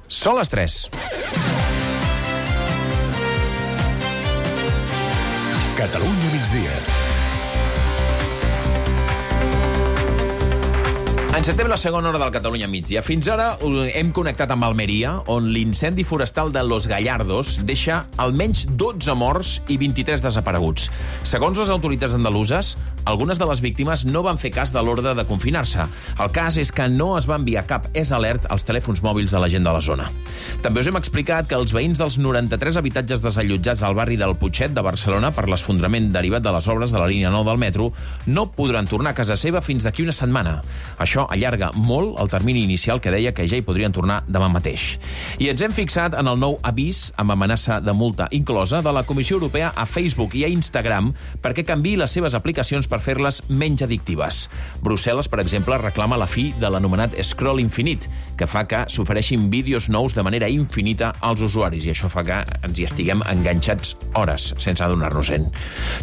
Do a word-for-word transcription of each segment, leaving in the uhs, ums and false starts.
Són les tres. Catalunya migdia. Encetem la segona hora del Catalunya migdia. Fins ara hem connectat amb Almeria, on l'incendi forestal de Los Gallardos deixa almenys dotze morts i vint-i-tres desapareguts. Segons les autoritats andaluses, algunes de les víctimes no van fer cas de l'ordre de confinar-se. El cas és que no es va enviar cap S Alert als telèfons mòbils de la gent de la zona. També us hem explicat que els veïns dels noranta-tres habitatges desallotjats al barri del Putxet de Barcelona per l'esfondrament derivat de les obres de la línia nou del metro no podran tornar a casa seva fins d'aquí una setmana. Això allarga molt el termini inicial que deia que ja hi podrien tornar demà mateix. I ens hem fixat en el nou avís amb amenaça de multa inclosa de la Comissió Europea a Facebook i a Instagram perquè canviï les seves aplicacions per fer-les menys addictives. Brussel·les, per exemple, reclama la fi de l'anomenat scroll infinit, que fa que s'ofereixin vídeos nous de manera infinita als usuaris, i això fa que ens hi estiguem enganxats hores sense adonar-nos-en.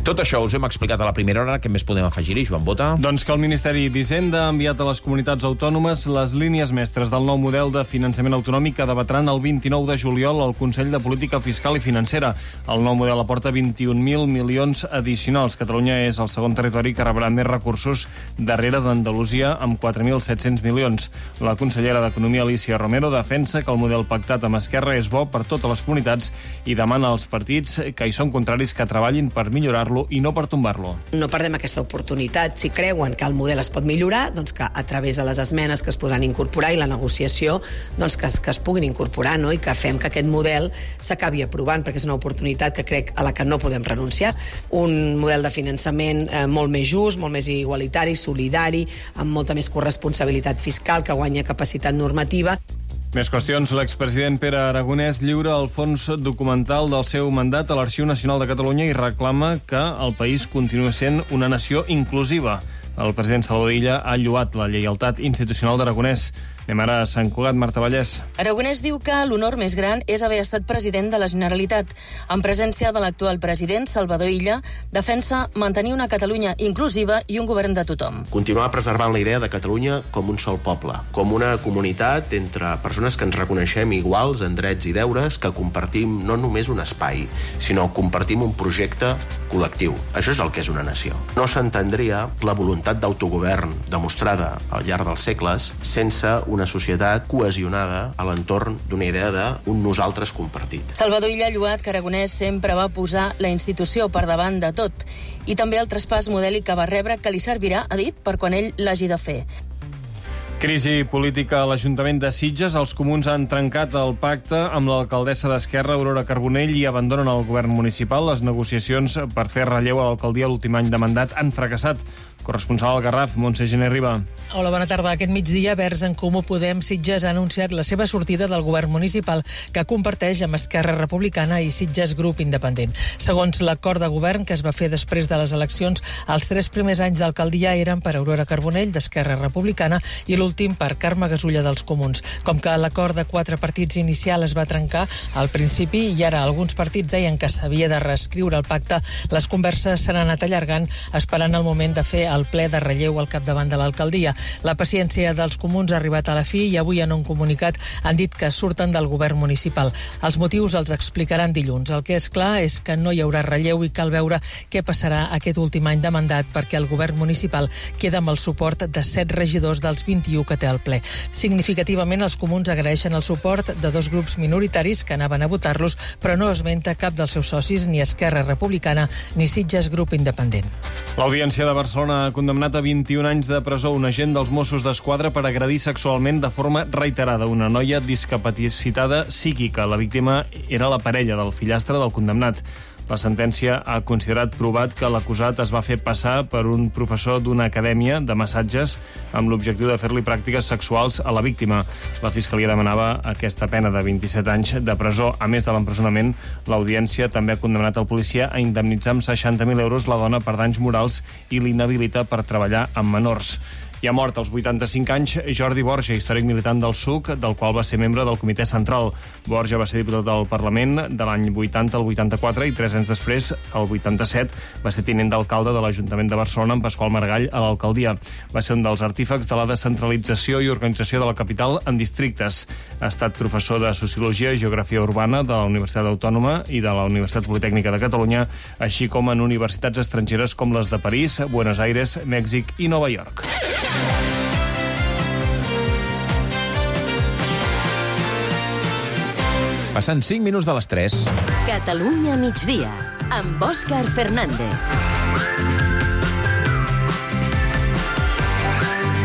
Tot això us hem explicat a la primera hora. Què més podem afegir-hi, Joan Bota? Doncs que el Ministeri d'Hisenda ha enviat a les comunitats autònomes les línies mestres del nou model de finançament autonòmic que debatran el vint-i-nou de juliol al Consell de Política Fiscal i Financera. El nou model aporta vint-i-un mil milions addicionals. Catalunya és el segon territori que rebrà més recursos darrere d'Andalusia amb quatre mil set-cents milions. La consellera d'Economia, Alicia Romero, defensa que el model pactat amb Esquerra és bo per totes les comunitats i demana als partits que hi són contraris que treballin per millorar-lo i no per tombar-lo. No perdem aquesta oportunitat. Si creuen que el model es pot millorar, doncs que a través de les esmenes que es podran incorporar i la negociació doncs que, es, que es puguin incorporar, no? I que fem que aquest model s'acabi aprovant, perquè és una oportunitat que crec a la que no podem renunciar. Un model de finançament eh, molt més just, molt més igualitari, solidari, amb molta més corresponsabilitat fiscal, que guanya capacitat normativa. Més qüestions. L'expresident Pere Aragonès lliura el fons documental del seu mandat a l'Arxiu Nacional de Catalunya i reclama que el país continuï sent una nació inclusiva. El president Salvador Illa ha lloat la lleialtat institucional d'Aragonès. Anem ara a Sant Cugat, Marta Vallès. Aragonès diu que l'honor més gran és haver estat president de la Generalitat. En presència de l'actual president, Salvador Illa, defensa mantenir una Catalunya inclusiva i un govern de tothom. Continuar preservant la idea de Catalunya com un sol poble, com una comunitat entre persones que ens reconeixem iguals en drets i deures, que compartim no només un espai, sinó compartim un projecte col·lectiu. Això és el que és una nació. No s'entendria la voluntat d'autogovern demostrada al llarg dels segles sense una societat cohesionada a l'entorn d'una idea d'un nosaltres compartit. Salvador Illa ha lloat que Aragonès sempre va posar la institució per davant de tot i també el traspàs modèlic que va rebre, que li servirà, ha dit, per quan ell l'hagi de fer. Crisi política a l'Ajuntament de Sitges. Els comuns han trencat el pacte amb l'alcaldessa d'Esquerra, Aurora Carbonell, i abandonen el govern municipal. Les negociacions per fer relleu a l'alcaldia l'últim any de mandat han fracassat. Corresponsal al Garraf, Montse Gené Riba. Hola, bona tarda. Aquest migdia, Verds en Comú Podem Sitges ha anunciat la seva sortida del govern municipal, que comparteix amb Esquerra Republicana i Sitges Grup Independent. Segons l'acord de govern que es va fer després de les eleccions, els tres primers anys d'alcaldia eren per Aurora Carbonell, d'Esquerra Republicana, i l'últim per Carme Gasulla, dels Comuns. Com que l'acord de quatre partits inicial es va trencar al principi i ara alguns partits deien que s'havia de reescriure el pacte, les converses s'han anat allargant, esperant el moment de fer el ple de relleu al capdavant de l'alcaldia. La paciència dels comuns ha arribat a la fi i avui en un comunicat han dit que surten del govern municipal. Els motius els explicaran dilluns. El que és clar és que no hi haurà relleu i cal veure què passarà aquest últim any de mandat, perquè el govern municipal queda amb el suport de set regidors dels vint-i-u que té al ple. Significativament, els comuns agraeixen el suport de dos grups minoritaris que anaven a votar-los, però no esmenta cap dels seus socis, ni Esquerra Republicana ni Sitges Grup Independent. L'Audiència de Barcelona ha condemnat a vint-i-un anys de presó un agent dels Mossos d'Esquadra per agredir sexualment de forma reiterada una noia discapacitada psíquica. La víctima era la parella del fillastre del condemnat. La sentència ha considerat provat que l'acusat es va fer passar per un professor d'una acadèmia de massatges amb l'objectiu de fer-li pràctiques sexuals a la víctima. La Fiscalia demanava aquesta pena de vint-i-set anys de presó. A més de l'empresonament, l'Audiència també ha condemnat el policia a indemnitzar amb seixanta mil euros la dona per danys morals i l'inhabilita per treballar amb menors. I ha mort als vuitanta-cinc anys Jordi Borja, històric militant del S U C, del qual va ser membre del Comitè Central. Borja va ser diputat del Parlament de l'any vuitanta al vuitanta-quatre i tres anys després, el vuitanta-set, va ser tinent d'alcalde de l'Ajuntament de Barcelona amb Pasqual Margall a l'alcaldia. Va ser un dels artífecs de la descentralització i organització de la capital en districtes. Ha estat professor de Sociologia i Geografia Urbana de la Universitat Autònoma i de la Universitat Politècnica de Catalunya, així com en universitats estrangeres com les de París, Buenos Aires, Mèxic i Nova York. Passant cinc minuts de les tres. Catalunya migdia, amb Òscar Fernández.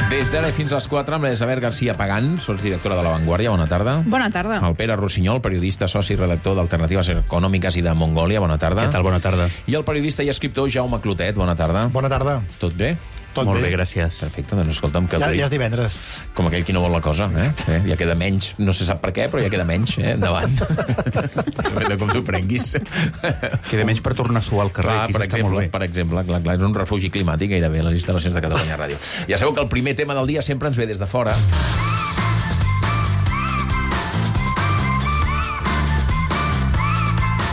Des d'ara fins a les quatre, amb l'Isabel García Pagán, sots directora de La Vanguardia, bona tarda. Bona tarda. El Pere Rossinyol, periodista, soci i redactor d'Alternatives Econòmiques i de Mongòlia, bona tarda. Què tal, bona tarda. I el periodista i escriptor Jaume Clotet, bona tarda. Bona tarda. Tot bé? Tot Molt bé. bé, gràcies. Perfecte, doncs escolta'm... Que Ja, avui, ja és divendres. com aquell qui no vol la cosa, eh? eh? Ja queda menys, no se sap per què, però ja queda menys, eh? Endavant. Depèn de com t'ho prenguis. Queda menys per tornar a suar al carrer, Clar, aquí per s'està exemple, molt bé. per exemple, clar, clar, és un refugi climàtic gairebé, les instal·lacions de Catalunya Ràdio. Ja sabeu que el primer tema del dia sempre ens ve des de fora.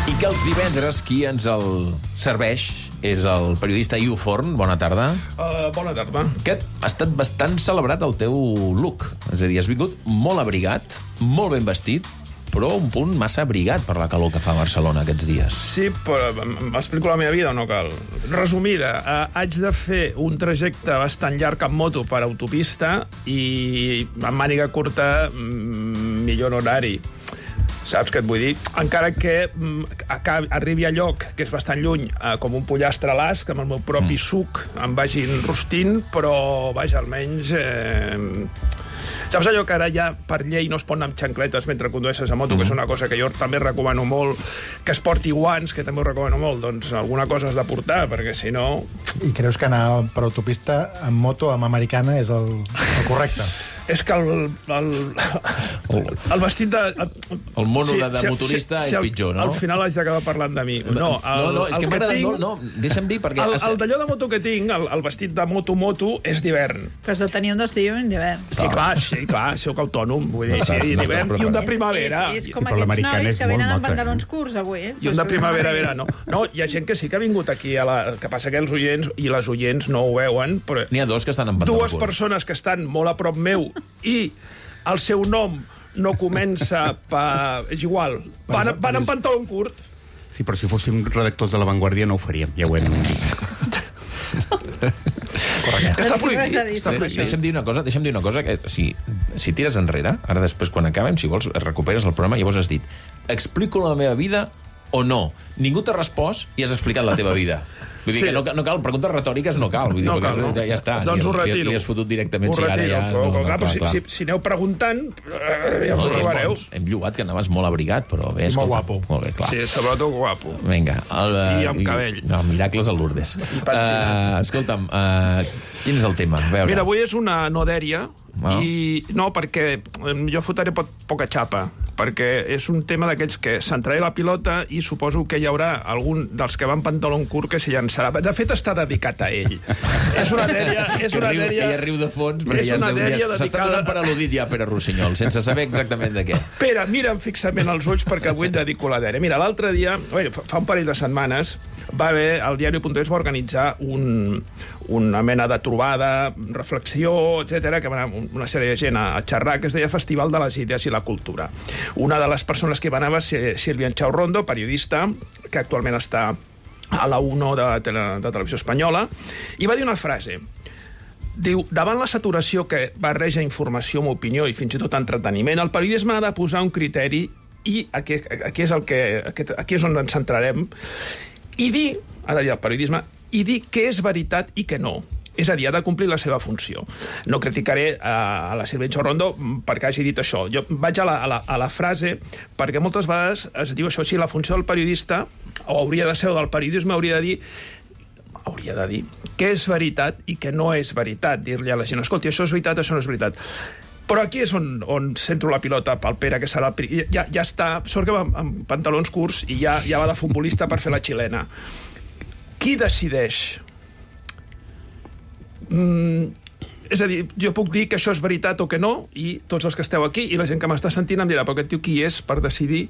I que els divendres qui ens el serveix és el periodista Iu Forn. Bona tarda. Uh, bona tarda. Que ha estat bastant celebrat el teu look. És a dir, has vingut molt abrigat, molt ben vestit, però un punt massa abrigat per la calor que fa a Barcelona aquests dies. Sí, però m'explico la meva vida o no cal? Resumida, eh, haig de fer un trajecte bastant llarg amb moto per autopista i amb màniga curta mm, millor horari. Saps què et vull dir? Encara que mm, acabi, arribi a lloc que és bastant lluny, eh, com un pollastre a l'as, que amb el meu propi mm. suc em vagin rostint, però, vaja, almenys... Eh... Saps allò que ara ja per llei no es pot anar amb xancletes mentre condueixes a moto, mm. que és una cosa que jo també recomano molt, que es porti guants, que també ho recomano molt, doncs alguna cosa has de portar, perquè si no... I creus que anar per autopista amb moto, amb americana, és el, el correcte? És que el, el, el vestit de... El, el mono sí, de, de motorista si, si, si és pitjor, no? Al final haig d'acabar parlant de mi. No, el, no, no és que, que tinc, no, no, deixa'm dir, perquè... El, el d'allò de moto que tinc, el, el vestit de moto-moto, és d'hivern. Però has de tenir un d'estiu i un d'hivern. Sí, clar, sí, clar, soc autònom, vull dir, sí, d'hivern i un de primavera. És, és, és com aquests nois que venen amb pantalons curts avui, eh? I un de primavera-verano. No, hi ha gent que sí que ha vingut aquí, a la, que passa que els oients i les oients no ho veuen, però... N'hi ha dos que estan amb pantalons curts. Dues persones que estan molt a prop meu i el seu nom no comença per... És igual, van, van amb pantaló curt. Sí, però si fóssim redactors de La Vanguardia no ho faríem, ja ho hem dit. Correcte. Està prohibit. Està prohibit. Deixa'm dir una cosa, deixa'm dir una cosa, que si, si tires enrere, ara després quan acabem, si vols, recuperes el programa, llavors has dit, explico la meva vida o no. Ningú t'ha respost i has explicat la teva vida. Vull dir sí. que no, no cal, preguntes retòriques no cal. Vull dir, no cal, no. Ja, ja està. Doncs ho li, retiro. li, li has fotut directament. Ho si retiro, ara ja, però, no, no, clar, clar, si, clar. si, si aneu preguntant, ja us ho No, trobareu. és bo. Hem llogat que anaves molt abrigat, però bé, escolta. Molt guapo. Molt bé, clar. Sí, sobretot guapo. Vinga. El, I amb cabell. No, miracles a Lourdes. Uh, escolta'm, uh, quin és el tema? A veure. Mira, avui és una no dèria, Ah. i no, perquè jo fotré pot, poca xapa, perquè és un tema d'aquells que centraré la pilota i suposo que hi haurà algun dels que van pantaló curt que s'hi llançarà. De fet, està dedicat a ell. És una dèria... És una que, riu, dèria que ja riu de fons, perquè és ja una dèria s'està dedicada... donant per al·ludit ja, Pere Rossinyol, sense saber exactament de què. Pere, mira'm fixament els ulls perquè avui et dedico la dèria. Mira, l'altre dia, bé, fa un parell de setmanes, va haver, el diari punt es va organitzar un, una mena de trobada, reflexió, etcètera, que va anar una sèrie de gent a, a xerrar, que es deia Festival de les Idees i la Cultura. Una de les persones que hi va anar va ser Sílvia Enxaurrondo, periodista, que actualment està a la UNO de, de, de Televisió Espanyola, i va dir una frase. Diu, davant la saturació que barreja informació amb opinió i fins i tot entreteniment, el periodisme ha de posar un criteri i aquí, aquí, és, el que, aquí, aquí és on ens centrarem, i dir, ha de dir el periodisme, i dir què és veritat i què no. És a dir, ha de complir la seva funció. No criticaré a, a la Sílvia Enxaurrondo perquè hagi dit això. Jo vaig a la, a, la, a la frase perquè moltes vegades es diu això, si la funció del periodista, o hauria de ser del periodisme, hauria de dir hauria de dir què és veritat i què no és veritat. Dir-li a la gent, escolti, això és veritat, això no és veritat. Però aquí és on, on centro la pilota pel Pere, que serà el... Ja, ja està, sort que va amb, amb pantalons curts i ja, ja va de futbolista per fer la xilena. Qui decideix? Mm, És a dir, jo puc dir que això és veritat o que no, i tots els que esteu aquí i la gent que m'està sentint em dirà, però aquest tio qui és per decidir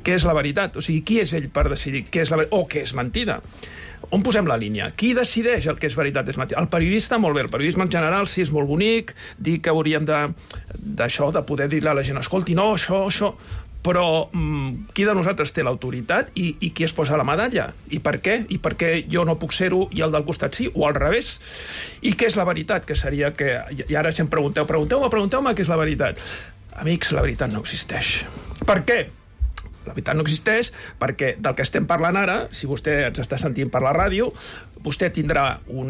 què és la veritat? O sigui, qui és ell per decidir què és la veritat o què és mentida? On posem la línia? Qui decideix el que és veritat és mentida? El periodista, molt bé, el periodisme en general sí és molt bonic, dir que hauríem de, d'això, de poder dir-li a la gent, escolti, no, això, això... Però mm, qui de nosaltres té l'autoritat i, i qui es posa la medalla? I per què? I per què jo no puc ser-ho i el del costat sí? O al revés? I què és la veritat? Que seria que... I ara si em pregunteu, pregunteu-me, pregunteu-me què és la veritat. Amics, la veritat no existeix. Per què? La veritat no existeix perquè del que estem parlant ara, si vostè ens està sentint per la ràdio, vostè tindrà un...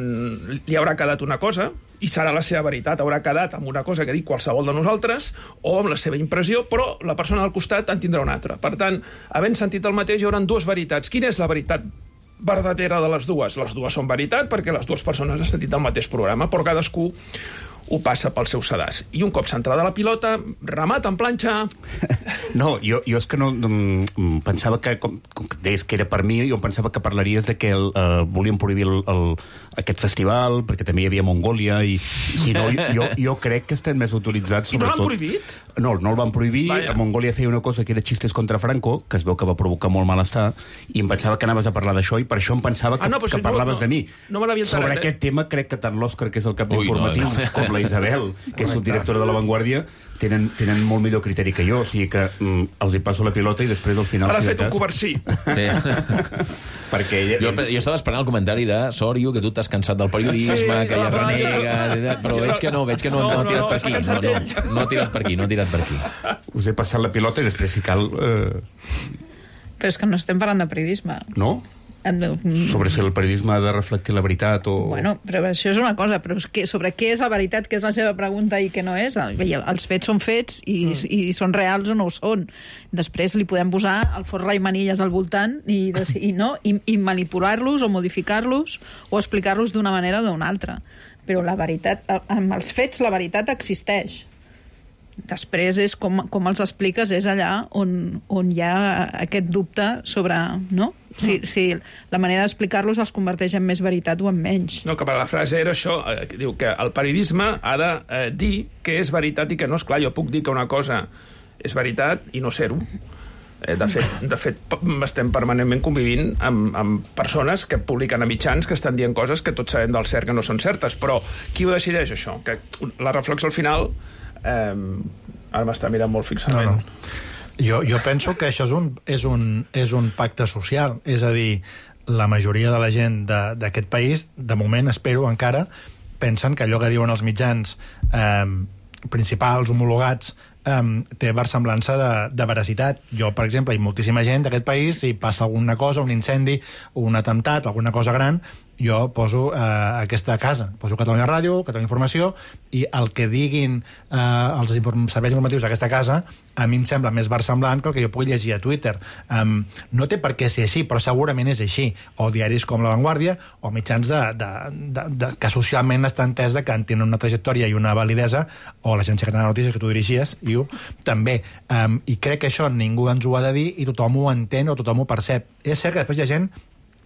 li haurà quedat una cosa i serà la seva veritat, haurà quedat amb una cosa que dic qualsevol de nosaltres o amb la seva impressió, però la persona al costat en tindrà una altra. Per tant, havent sentit el mateix, hi haurà dues veritats. Quina és la veritat verdadera de les dues? Les dues són veritat perquè les dues persones han sentit el mateix programa, però cadascú ho passa pel seu sedàs. I un cop centrada la pilota, remat en planxa... No, jo, jo és que no... no pensava que, com, com que deies que era per mi, jo pensava que parlaries de que el, uh, volíem prohibir el, el, aquest festival, perquè també hi havia Mongòlia, i si no, jo, jo crec que estem més utilitzats... I no l'han prohibit? No, no el van prohibir. Vaya. A Mongòlia feia una cosa que era xistes contra Franco, que es veu que va provocar molt malestar, i em pensava que anaves a parlar d'això, i per això em pensava que, ah, no, que si parlaves no, no, de mi. No me l'havia Sobre enterat, aquest eh? tema, crec que tant l'Òscar, que és el cap d'informatius, no, no. com la Isabel, que és subdirectora de La Vanguardia, tenen, tenen molt millor criteri que jo, o sigui que mm, els hi passo la pilota i després al final... Ara ha si fet un coversí. Sí. Perquè ella, jo, jo estava esperant el comentari de Sòrio, que tu t'has cansat del periodisme, sí, que ja renegues, però veig que no, veig que no, no, no ha tirat no, per aquí. No, no, no ha tirat per aquí, no ha tirat per aquí. Us he passat la pilota i després, si cal... Eh... Però és que no estem parlant de periodisme. No? Sobre si el periodisme ha de reflectir la veritat o... Bueno, però això és una cosa, però és que sobre què és la veritat, què és la seva pregunta i què no és. Els fets són fets i, mm. i són reals o no ho són. Després li podem posar el forra i manilles al voltant i, i, no, i, i manipular-los o modificar-los o explicar-los d'una manera o d'una altra. Però la veritat, amb els fets la veritat existeix. Després és com, com els expliques, és allà on, on hi ha aquest dubte sobre, no? Si, si la manera d'explicar-los els converteix en més veritat o en menys. No, que la frase era això, eh, que diu que el periodisme ha de eh, dir què és veritat i què no. És clar, jo puc dir que una cosa és veritat i no ser-ho. Eh, de fet, de fet, estem permanentment convivint amb, amb persones que publiquen a mitjans que estan dient coses que tots sabem del cert que no són certes, però qui ho decideix, això? Que la reflexió al final... Eh, ara m'està mirant molt fixament. No, no. Jo, jo penso que això és un, és, un, és un pacte social, és a dir, la majoria de la gent d'aquest país, de moment, espero encara, pensen que allò que diuen els mitjans eh, principals, homologats, Um, té versemblança de, de veracitat. Jo, per exemple, hi ha moltíssima gent d'aquest país, si passa alguna cosa, un incendi, un atemptat, alguna cosa gran, jo poso uh, aquesta casa, poso Catalunya Ràdio, Catalunya Informació, i el que diguin uh, els inform serveis informatius d'aquesta casa a mi em sembla més versemblant que el que jo pugui llegir a Twitter. Um, no té per què ser així, però segurament és així. O diaris com La Vanguardia, o mitjans de, de, de, de, que socialment està entès que tenen una trajectòria i una validesa, o l'Agència Catalana de Notícies, que tu dirigies, i també. Um, I crec que això ningú ens ho ha de dir i tothom ho entén o tothom ho percep. És cert que després hi ha gent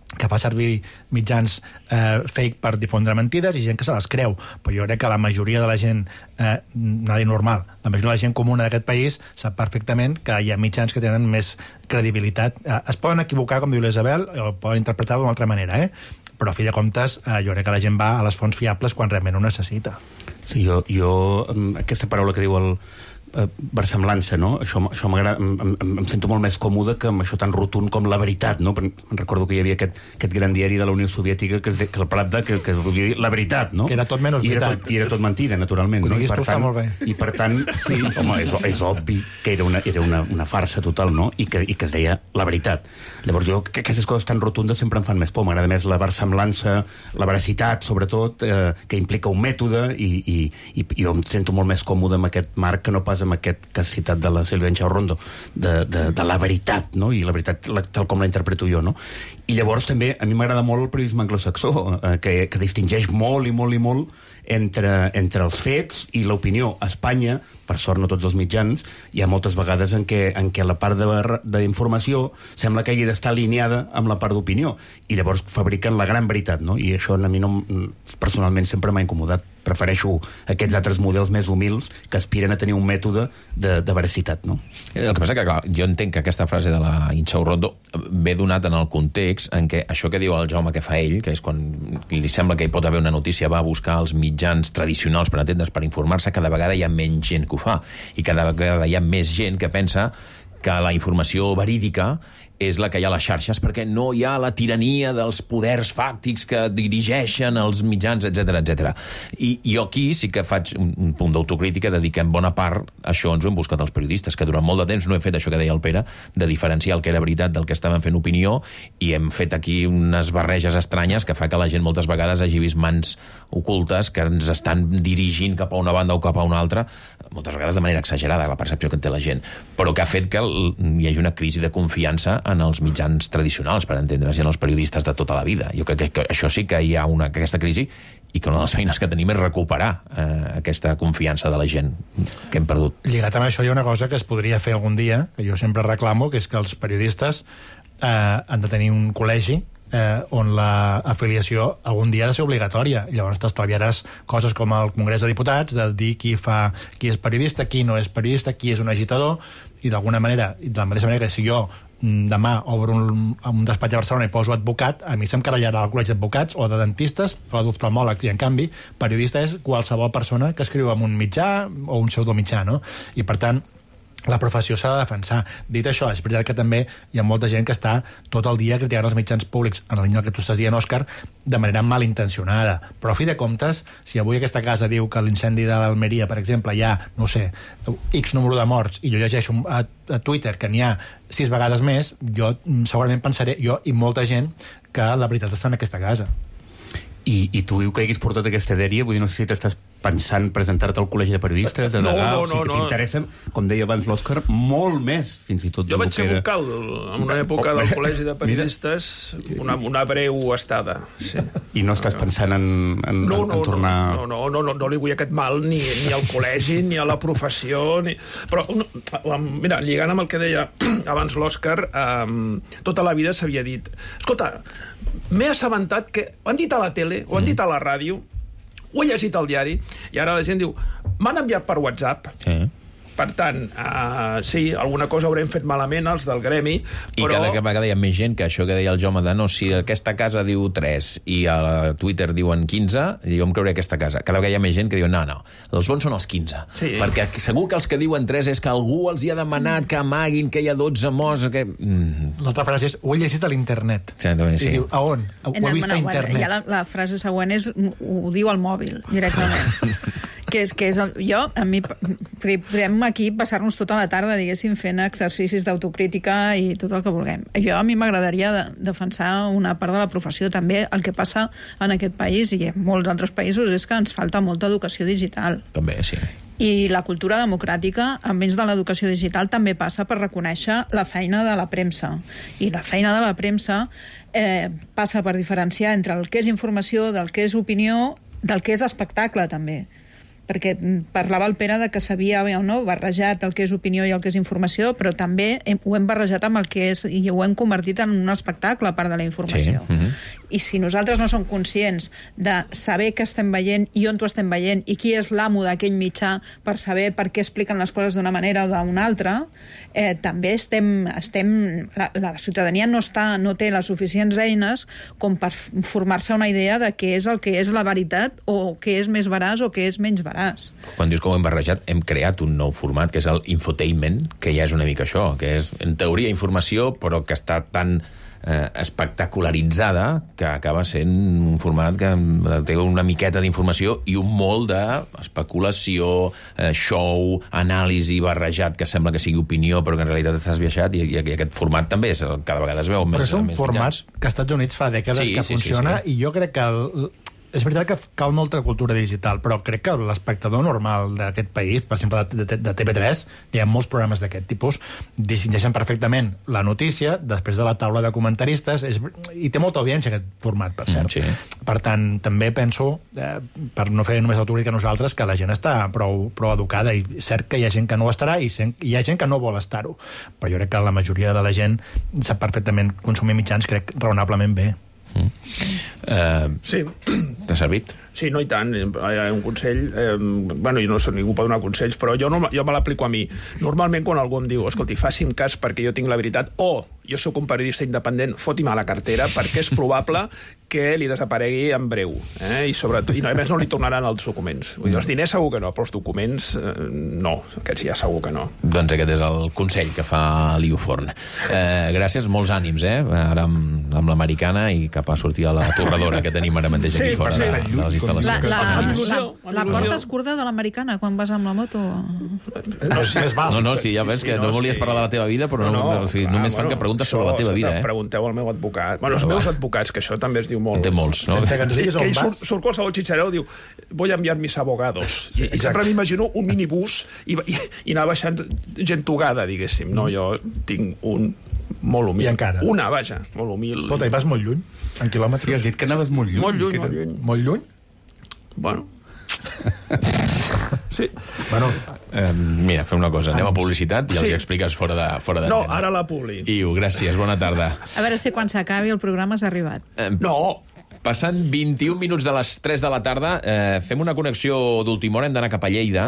que fa servir mitjans eh, fake per difondre mentides i gent que se les creu, però jo crec que la majoria de la gent eh, nada normal, la majoria de la gent comuna d'aquest país sap perfectament que hi ha mitjans que tenen més credibilitat. Eh, es poden equivocar, com diu l'Isabel, o poden interpretar d'una altra manera, eh? Però a fi de comptes eh, jo crec que la gent va a les fonts fiables quan realment ho necessita. Sí, jo, jo aquesta paraula que diu el eh, versemblança, no? Això, això m'agrada, em, em, em sento molt més còmode que amb això tan rotund com la veritat, no? Em recordo que hi havia aquest, aquest gran diari de la Unió Soviètica que, que el Pravda, que, que volia dir la veritat, no? Que era tot menys I era veritat. tot, I era tot mentida, naturalment. Ho No? I per tu, tant, molt bé. I per tant, sí, home, és, és obvi que era una, era una, una farsa total, no? I que, i que es deia la veritat. Llavors jo, que aquestes coses tan rotundes sempre em fan més por. M'agrada més la versemblança, la veracitat, sobretot, eh, que implica un mètode, i, i, i jo em sento molt més còmode amb aquest marc que no pas amb aquest que has citat de la Sílvia Enxaurrondo, de, de, de la veritat, no? I la veritat la, tal com la interpreto jo, no? I llavors també a mi m'agrada molt el periodisme anglosaxó, eh, que, que distingeix molt i molt i molt entre, entre els fets i l'opinió. A Espanya, per sort no tots els mitjans, hi ha moltes vegades en què, en què la part d'informació sembla que hagi d'estar alineada amb la part d'opinió, i llavors fabriquen la gran veritat, no? I això a mi no, personalment sempre m'ha incomodat. prefereixo aquests altres models més humils que aspiren a tenir un mètode de, de veracitat, no? El que passa que, clar, jo entenc que aquesta frase de la Inxau Rondo ve donat en el context en què això que diu el Jaume que fa ell, que és quan li sembla que hi pot haver una notícia, va a buscar els mitjans tradicionals per entendre's, per informar-se, cada vegada hi ha menys gent que ho fa, i cada vegada hi ha més gent que pensa que la informació verídica és la que hi ha a les xarxes, perquè no hi ha la tirania dels poders fàctics que dirigeixen els mitjans, etcètera, etcètera. I jo aquí sí que faig un punt d'autocrítica de dir que en bona part això ens ho hem buscat els periodistes, que durant molt de temps no hem fet això que deia el Pere, de diferenciar el que era veritat del que estaven fent opinió, i hem fet aquí unes barreges estranyes que fa que la gent moltes vegades hagi vist mans ocultes que ens estan dirigint cap a una banda o cap a una altra, moltes vegades de manera exagerada, la percepció que té la gent, però que ha fet que hi hagi una crisi de confiança en els mitjans tradicionals, per entendre's, i en els periodistes de tota la vida. Jo crec que, que això sí que hi ha una, aquesta crisi, i que una de les feines que tenim és recuperar eh, aquesta confiança de la gent que hem perdut. Lligat amb això hi ha una cosa que es podria fer algun dia, que jo sempre reclamo, que és que els periodistes eh, han de tenir un col·legi eh, on l'afiliació algun dia ha de ser obligatòria. Llavors t'estalviaràs coses com el Congrés de Diputats, de dir qui fa qui és periodista, qui no és periodista, qui és un agitador, i d'alguna manera, de la mateixa manera que si jo demà obro un, un despatx a Barcelona i poso advocat, a mi s'encarregarà el col·legi d'advocats o de dentistes o d'oftalmòlegs, i en canvi periodista és qualsevol persona que escriu en un mitjà o un pseudomitjà, no? I per tant la professió s'ha de defensar. Dit això, és veritat que també hi ha molta gent que està tot el dia criticant els mitjans públics, en la línia que tu estàs dient, Òscar, de manera malintencionada. Però a fi de comptes, si avui aquesta casa diu que l'incendi de l'Almeria, per exemple, hi ha, no sé, X número de morts, i jo llegeixo a, a Twitter que n'hi ha sis vegades més, jo segurament pensaré, jo i molta gent, que la veritat està en aquesta casa. I, i tu diu que haguis portat aquesta dèria, vull dir, no sé si t'estàs pensant presentar-te al col·legi de periodistes, de degà, no, no, no, o sigui que no, t'interessen, com deia abans l'Òscar, molt més, fins i tot. Jo vaig ser vocal en una època del col·legi de periodistes, una, una breu estada. Sí. I no estàs pensant en, en, no, en, no, en tornar... No, no, no, no, no li vull aquest mal ni, ni al col·legi, ni a la professió, ni... Però, mira, lligant amb el que deia abans l'Òscar, um, tota la vida s'havia dit, escolta, m'he assabentat que ho han dit a la tele, ho han dit a la ràdio, ho he llegit al diari, i ara la gent diu, m'han enviat per WhatsApp. Sí. Per tant, uh, sí, alguna cosa haurem fet malament els del gremi, I però... cada vegada hi ha més gent que això que deia el Jaume de no, si aquesta casa diu tres i a Twitter diuen quinze, jo em creuré aquesta casa. Cada vegada hi ha més gent que diu no, no, els bons són els quinze. Sí. Perquè segur que els que diuen tres és que algú els hi ha demanat que amaguin que hi ha dotze morts. Que... Mm. L'altra frase és, ho he llegit a l'internet. Sí, també, sí. I diu, a on? Ho he vist a internet. Ja la, la frase següent és, ho diu al mòbil, directament. que és, que és el, jo, a mi, podem aquí passar-nos tota la tarda, diguéssim, fent exercicis d'autocrítica i tot el que vulguem. Jo, a mi m'agradaria de, defensar una part de la professió. També el que passa en aquest país i en molts altres països és que ens falta molta educació digital. També, sí. I la cultura democràtica, a més de l'educació digital, també passa per reconèixer la feina de la premsa. I la feina de la premsa eh, passa per diferenciar entre el que és informació, del que és opinió, del que és espectacle, també. Perquè parlava el Pere de que s'havia no, barrejat el que és opinió i el que és informació, però també hem, ho hem barrejat amb el que és, i ho hem convertit en un espectacle a part de la informació. Sí. Uh-huh. I si nosaltres no som conscients de saber què estem veient i on ho estem veient i qui és l'amo d'aquell mitjà per saber per què expliquen les coses d'una manera o d'una altra, eh, també estem... estem la, la ciutadania no, està, no té les suficients eines com per formar-se una idea de què és el que és la veritat o què és més veraç o què és menys veraç. Quan dius que ho hem barrejat, hem creat un nou format, que és el infotainment, que ja és una mica això, que és, en teoria, informació, però que està tan eh, espectacularitzada que acaba sent un format que té una miqueta d'informació i un molt d'especulació, eh, show, anàlisi barrejat, que sembla que sigui opinió, però que en realitat estàs viaixat, i, i aquest format també és, cada vegada es veu més... Però és un més format mitjans. que als Estats Units fa dècades sí, que sí, funciona, sí, sí. I jo crec que... El, és veritat que cal molta cultura digital, però crec que l'espectador normal d'aquest país, per exemple, de, de, de T V tres, hi ha molts programes d'aquest tipus, distingeixen perfectament la notícia després de la taula de comentaristes, és, i té molta audiència aquest format, per cert. Mm, sí. Per tant, també penso, eh, per no fer només autocrítica a nosaltres, que la gent està prou, prou educada, i cert que hi ha gent que no ho estarà i hi ha gent que no vol estar-ho, però jo crec que la majoria de la gent sap perfectament consumir mitjans, crec, raonablement bé. Mm. Uh, sí. T'ha servit? Sí, no, i tant. Un consell... Eh, bueno, jo no sé, ningú pot donar consells, però jo, no, jo me l'aplico a mi. Normalment, quan algú em diu, escolti, faci'm cas perquè jo tinc la veritat, o jo sóc un periodista independent, foti'm a la cartera, perquè és probable que li desaparegui en breu. Eh? I, sobretot, i no, a més no li tornaran els documents. Vull dir, els diners segur que no, però els documents eh, no. Aquests ja segur que no. Doncs aquest és el consell que fa l'Iu Forn. Eh, gràcies, molts ànims, eh? Ara amb, amb l'americana i cap a sortir a la torradora que tenim ara mateix aquí sí, fora de, de les instal·lacions. La, la, la, la porta es curta de l'americana quan vas amb la moto? No, sí, no, no, sí, ja ves sí, sí, que no, no volies sí. parlar de la teva vida, però no, no, o sigui, clar, només fan bueno, que preguntes sobre la teva vida. Eh? Pregunteu al meu advocat. Bueno, els però meus advocats, que això també es diu molt. En té molts, no? Que, que ell surt, surt qualsevol xitxareu, diu, voy a enviar mis abogados. I, i sempre m'imagino un minibús i, i, i anar baixant gent togada, diguéssim. No, jo tinc un molt humil. I encara? Una, vaja, molt humil. Escolta, i vas molt lluny? En quilòmetres? Sí, has dit que anaves molt lluny. Molt lluny, molt lluny. Molt lluny? Bueno... Sí. Bueno, eh, mira, fem una cosa, anem a publicitat i els sí. expliques fora de fora No, ara la publi. Iu, gràcies, bona tarda. A veure si quan s'acabi el programa has arribat. Eh, no! Passant vint-i-un minuts de les tres de la tarda, eh, fem una connexió d'última hora, hem d'anar cap a Lleida.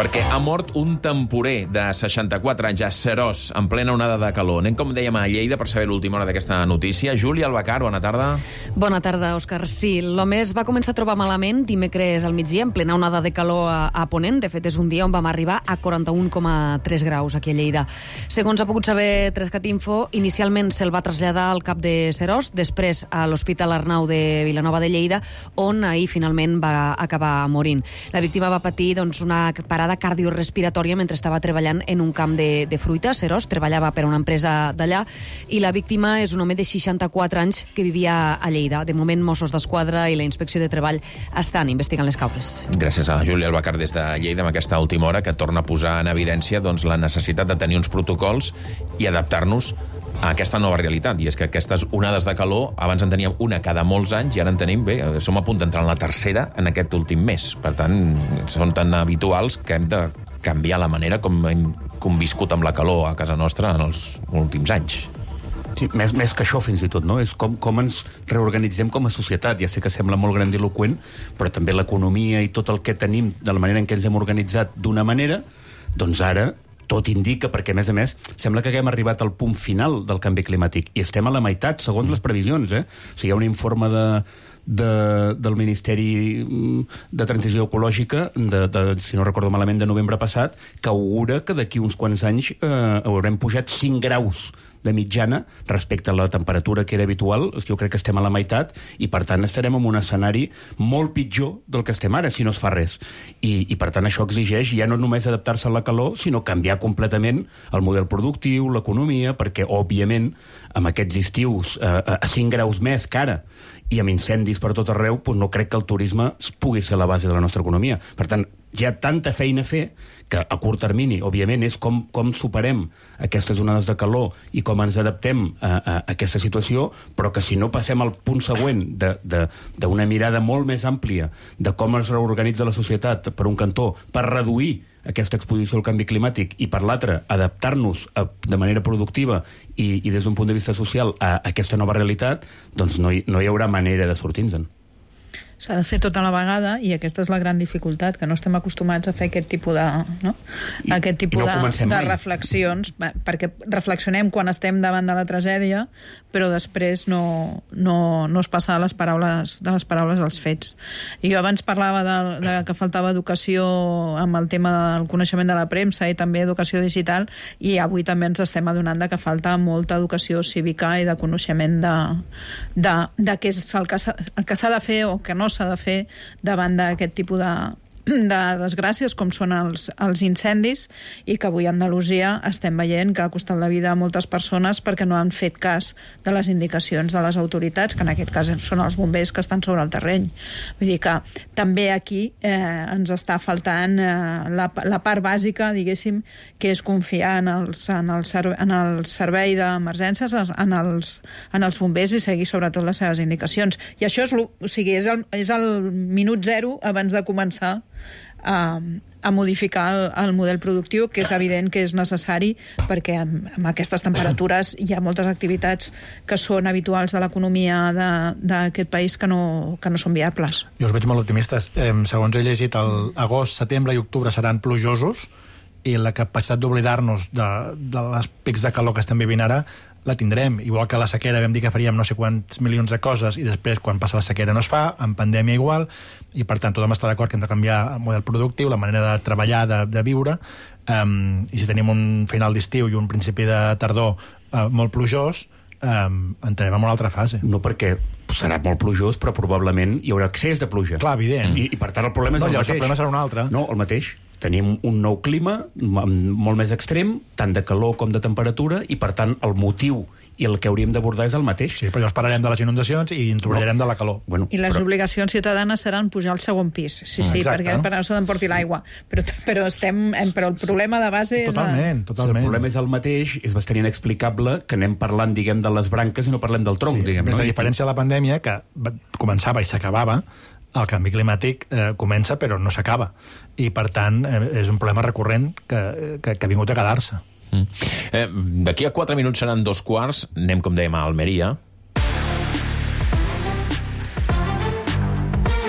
Perquè ha mort un temporer de seixanta-quatre anys a Seròs, en plena onada de calor. Anem, com dèiem, a Lleida per saber l'última hora d'aquesta notícia. Júlia Albacar, bona tarda. Bona tarda, Òscar. Sí, l'home es va començar a trobar malament dimecres al migdia, en plena onada de calor a, a Ponent. De fet, és un dia on vam arribar a quaranta-un coma tres graus aquí a Lleida. Segons ha pogut saber Trescat Info, inicialment se'l va traslladar al cap de Seròs, després a l'Hospital Arnau de Vilanova de Lleida, on ahir finalment va acabar morint. La víctima va patir doncs, una parada cardiorespiratòria mentre estava treballant en un camp de, de fruita. Seròs treballava per a una empresa d'allà i la víctima és un home de seixanta-quatre anys que vivia a Lleida. De moment, Mossos d'Esquadra i la Inspecció de Treball estan investigant les causes. Gràcies a Júlia Albacar des de Lleida amb aquesta última hora que torna a posar en evidència doncs, la necessitat de tenir uns protocols i adaptar-nos a aquesta nova realitat, i és que aquestes onades de calor, abans en teníem una cada molts anys i ara en tenim, bé, som a punt d'entrar en la tercera en aquest últim mes. Per tant, són tan habituals que hem de canviar la manera com hem conviscut amb la calor a casa nostra en els últims anys. Sí, més, més que això, fins i tot, no? És com, com ens reorganitzem com a societat. Ja sé que sembla molt grandiloqüent, però també l'economia i tot el que tenim, de la manera en què ens hem organitzat d'una manera, doncs ara tot indica, perquè a més a més sembla que haguem arribat al punt final del canvi climàtic i estem a la meitat, segons les previsions, eh? O sigui, hi ha un informe de, de, del Ministeri de Transició Ecològica, de, de, si no recordo malament, de novembre passat, que augura que d'aquí uns quants anys eh, haurem pujat cinc graus de mitjana respecte a la temperatura que era habitual. Jo crec que estem a la meitat i, per tant, estarem en un escenari molt pitjor del que estem ara, si no es fa res. I, i per tant, això exigeix ja no només adaptar-se a la calor, sinó canviar completament el model productiu, l'economia, perquè, òbviament, amb aquests estius eh, a cinc graus més que ara i amb incendis per tot arreu, doncs no crec que el turisme pugui ser la base de la nostra economia. Per tant, hi ha tanta feina a fer que a curt termini, òbviament, és com, com superem aquestes onades de calor i com ens adaptem a, a, a aquesta situació, però que si no passem al punt següent d'una mirada molt més àmplia de com es reorganitza la societat per un cantó, per reduir aquesta exposició al canvi climàtic i, per l'altre, adaptar-nos de manera productiva i, i des d'un punt de vista social a, a aquesta nova realitat, doncs no hi, no hi haurà manera de sortir-nos-en. S'ha de fer tota la vegada i aquesta és la gran dificultat, que no estem acostumats a fer aquest tipus de, no? I, aquest tipus i no de, de reflexions, perquè reflexionem quan estem davant de la tragèdia, però després no, no, no es passa de les paraules, de les paraules als fets. I jo abans parlava de, de que faltava educació amb el tema del coneixement de la premsa i també educació digital, i avui també ens estem adonant de que falta molta educació cívica i de coneixement de, de, de què és el que s'ha de fer o que no s'ha de fer davant d'aquest tipus de, de desgràcies com són els, els incendis, i que avui a Andalusia estem veient que ha costat la vida a moltes persones perquè no han fet cas de les indicacions de les autoritats, que en aquest cas són els bombers que estan sobre el terreny. Vull dir que també aquí eh, ens està faltant eh, la, la part bàsica, diguéssim, que és confiar en, els, en, el, serve, en el servei d'emergències, en els, en els bombers, i seguir sobretot les seves indicacions. I això és, o sigui, és, el, és el minut zero abans de començar a, a modificar el, el model productiu, que és evident que és necessari, perquè amb, amb aquestes temperatures hi ha moltes activitats que són habituals de l'economia d'aquest país que no, que no són viables. Jo us veig molt optimistes. Eh, segons he llegit, el agost, setembre i octubre seran plujosos, i la capacitat d'oblidar-nos de, de les pics de calor que estem vivint ara la tindrem. Igual que la sequera vam dir que faríem no sé quants milions de coses i després quan passa la sequera no es fa, en pandèmia igual, i per tant tothom està d'acord que hem de canviar el model productiu, la manera de treballar, de, de viure, um, i si tenim un final d'estiu i un principi de tardor uh, molt plujós, um, entrarem en una altra fase. No, perquè serà molt plujós, però probablement hi haurà excés de pluja. Clar, evident. I, i per tant el problema és no, el mateix. mateix. El problema serà un altre. No, el mateix. Tenim un nou clima molt més extrem, tant de calor com de temperatura, i per tant el motiu i el que hauríem d'abordar és el mateix. Sí, però llavors parlarem de les inundacions i ens oblidarem no. de la calor. Bueno, I les però... obligacions ciutadanes seran pujar al segon pis. Sí, sí, exacte. perquè per no se n'emporti l'aigua. Però, però, estem, però el problema de base és... Totalment, totalment. El problema és el mateix, és bastant inexplicable que anem parlant, diguem, de les branques i no parlem del tronc, sí, diguem. No? A diferència de la pandèmia, que començava i s'acabava, el canvi climàtic eh, comença però no s'acaba, i per tant eh, és un problema recurrent que, que, que ha vingut a quedar-se. Mm. Eh, d'aquí a quatre minuts seran dos quarts, anem com dèiem a Almeria,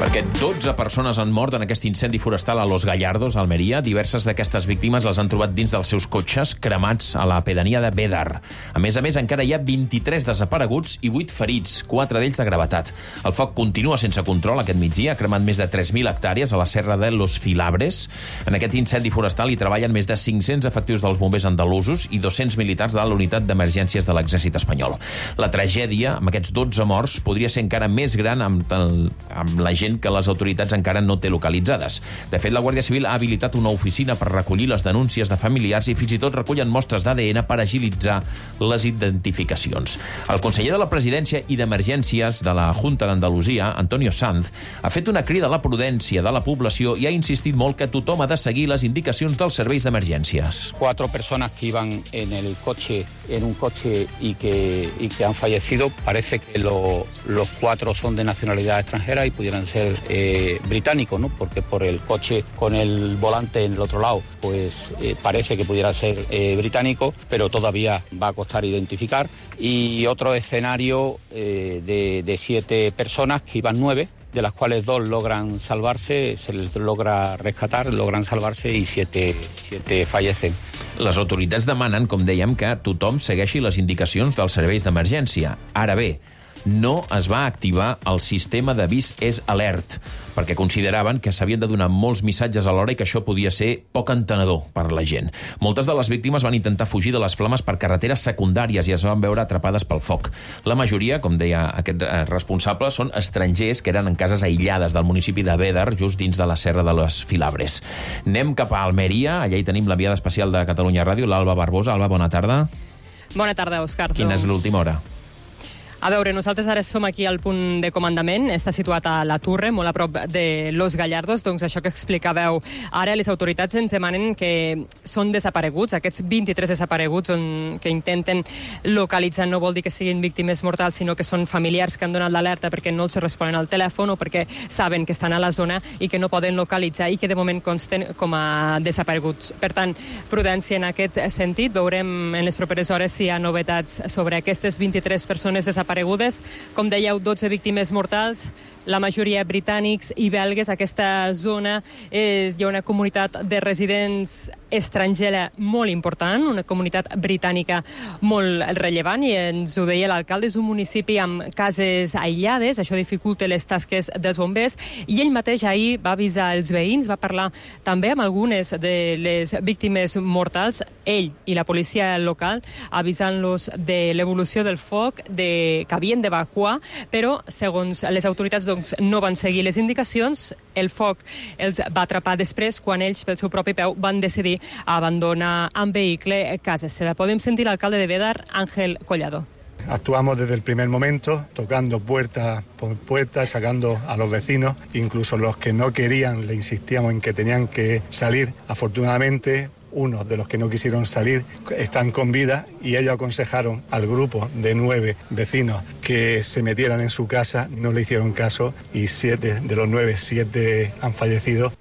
perquè dotze persones han mort en aquest incendi forestal a Los Gallardos, a Almeria. Diverses d'aquestes víctimes les han trobat dins dels seus cotxes cremats a la pedania de Bédar. A més a més, encara hi ha vint-i-tres desapareguts i vuit ferits, quatre d'ells de gravetat. El foc continua sense control aquest migdia, ha cremat més de tres mil hectàrees a la serra de Los Filabres. En aquest incendi forestal hi treballen més de cinc-cents efectius dels bombers andalusos i dos-cents militars de la unitat d'emergències de l'exèrcit espanyol. La tragèdia, amb aquests dotze morts, podria ser encara més gran amb, el, amb la gent que les autoritats encara no té localitzades. De fet, la Guàrdia Civil ha habilitat una oficina per recollir les denúncies de familiars i fins i tot recullen mostres d'A D N per agilitzar les identificacions. El conseller de la Presidència i d'Emergències de la Junta d'Andalusia, Antonio Sanz, ha fet una crida a la prudència de la població i ha insistit molt que tothom ha de seguir les indicacions dels serveis d'emergències. Cuatro personas que iban en el coche, en un coche y que, y que han fallecido, parece que lo, los cuatro son de nacionalidad extranjera y pudieran ser eh, británicos, ¿no? Porque por el coche con el volante en el otro lado, pues eh, parece que pudiera ser eh, británico, pero todavía va a costar identificar. Y otro escenario eh, de, de siete personas, que iban nueve, de las cuales dos logran salvarse, se les logra rescatar, logran salvarse i siete, siete fallecen. Les autoritats demanen, com dèiem, que tothom segueixi les indicacions dels serveis d'emergència. Ara bé, no es va activar el sistema d'avís és alert, perquè consideraven que s'havien de donar molts missatges alhora i que això podia ser poc entenedor per a la gent. Moltes de les víctimes van intentar fugir de les flames per carreteres secundàries i es van veure atrapades pel foc. La majoria, com deia aquest responsable, són estrangers que eren en cases aïllades del municipi de Bédar, just dins de la serra de Los Filabres. Anem cap a Almeria, allà hi tenim l'enviada especial de Catalunya Ràdio, l'Alba Barbosa. Alba, bona tarda. Bona tarda, Òscar. Quina és l'última hora? A veure, nosaltres ara som aquí al punt de comandament, està situat a la Torre, molt a prop de Los Gallardos, doncs això que explicàveu ara, les autoritats ens demanen que són desapareguts, aquests vint-i-tres desapareguts on, que intenten localitzar, no vol dir que siguin víctimes mortals, sinó que són familiars que han donat l'alerta perquè no els responen al telèfon o perquè saben que estan a la zona i que no poden localitzar i que de moment consten com a desapareguts. Per tant, prudència en aquest sentit, veurem en les properes hores si hi ha novetats sobre aquestes vint-i-tres persones desaparegudes. Com dèieu, dotze víctimes mortals, la majoria britànics i belgues. Aquesta zona és, hi ha una comunitat de residents estrangera molt important, una comunitat britànica molt rellevant, i ens ho deia l'alcalde, és un municipi amb cases aïllades, això dificulta les tasques dels bombers, i ell mateix ahir va avisar els veïns, va parlar també amb algunes de les víctimes mortals, ell i la policia local, avisant-los de l'evolució del foc, de que havien d'evacuar, però segons les autoritats doncs, no van seguir les indicacions, el foc els va atrapar després quan ells pel seu propi peu van decidir abandonar amb vehicle casa seva. Podem sentir l'alcalde de Bédar, Ángel Collado. Actuamos desde el primer momento, tocando puerta por puerta, sacando a los vecinos, incluso los que no querían, le insistíamos en que tenían que salir. Afortunadamente, unos de los que no quisieron salir están con vida y ellos aconsejaron al grupo de nueve vecinos que se metieran en su casa, no le hicieron caso y siete de los nueve, siete han fallecido.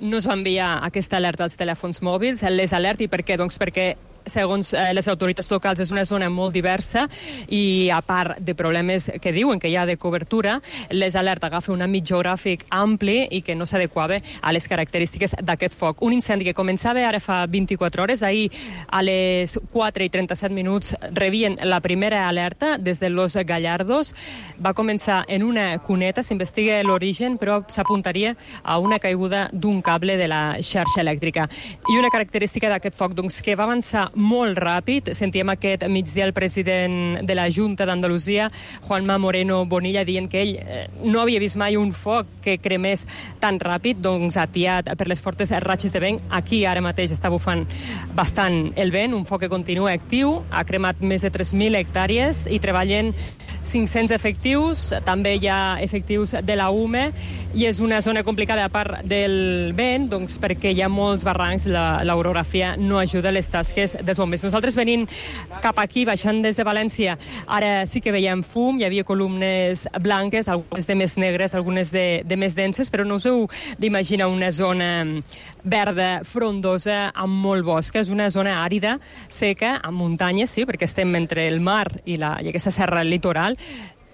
no es va enviar aquesta alerta als telèfons mòbils, les alerta, i per què? Doncs perquè segons eh, les autoritats locals, és una zona molt diversa i, a part de problemes que diuen que hi ha de cobertura, les alerta agafa un àmbit geogràfic ampli i que no s'adequava a les característiques d'aquest foc. Un incendi que començava ara fa vint-i-quatre hores, ahir a les quatre i trenta-set minuts rebien la primera alerta des de Los Gallardos. Va començar en una cuneta, s'investiga l'origen, però s'apuntaria a una caiguda d'un cable de la xarxa elèctrica. I una característica d'aquest foc, doncs, que va avançar molt ràpid. Sentíem aquest migdia el president de la Junta d'Andalusia, Juanma Moreno Bonilla, dient que ell eh, no havia vist mai un foc que cremés tan ràpid, doncs atiat per les fortes ratxes de vent. Aquí ara mateix està bufant bastant el vent, un foc que continua actiu, ha cremat més de tres mil hectàrees i treballen cinc-cents efectius, també hi ha efectius de la U M E, i és una zona complicada a part del vent, doncs perquè hi ha molts barrancs, la, l'orografia no ajuda a les tasques dels bombers. Nosaltres venint cap aquí, baixant des de València, ara sí que veiem fum, hi havia columnes blanques, algunes de més negres, algunes de, de més denses, però no us heu d'imaginar una zona verda, frondosa, amb molt bosc. És una zona àrida, seca, amb muntanyes, sí, perquè estem entre el mar i, la, i aquesta serra litoral.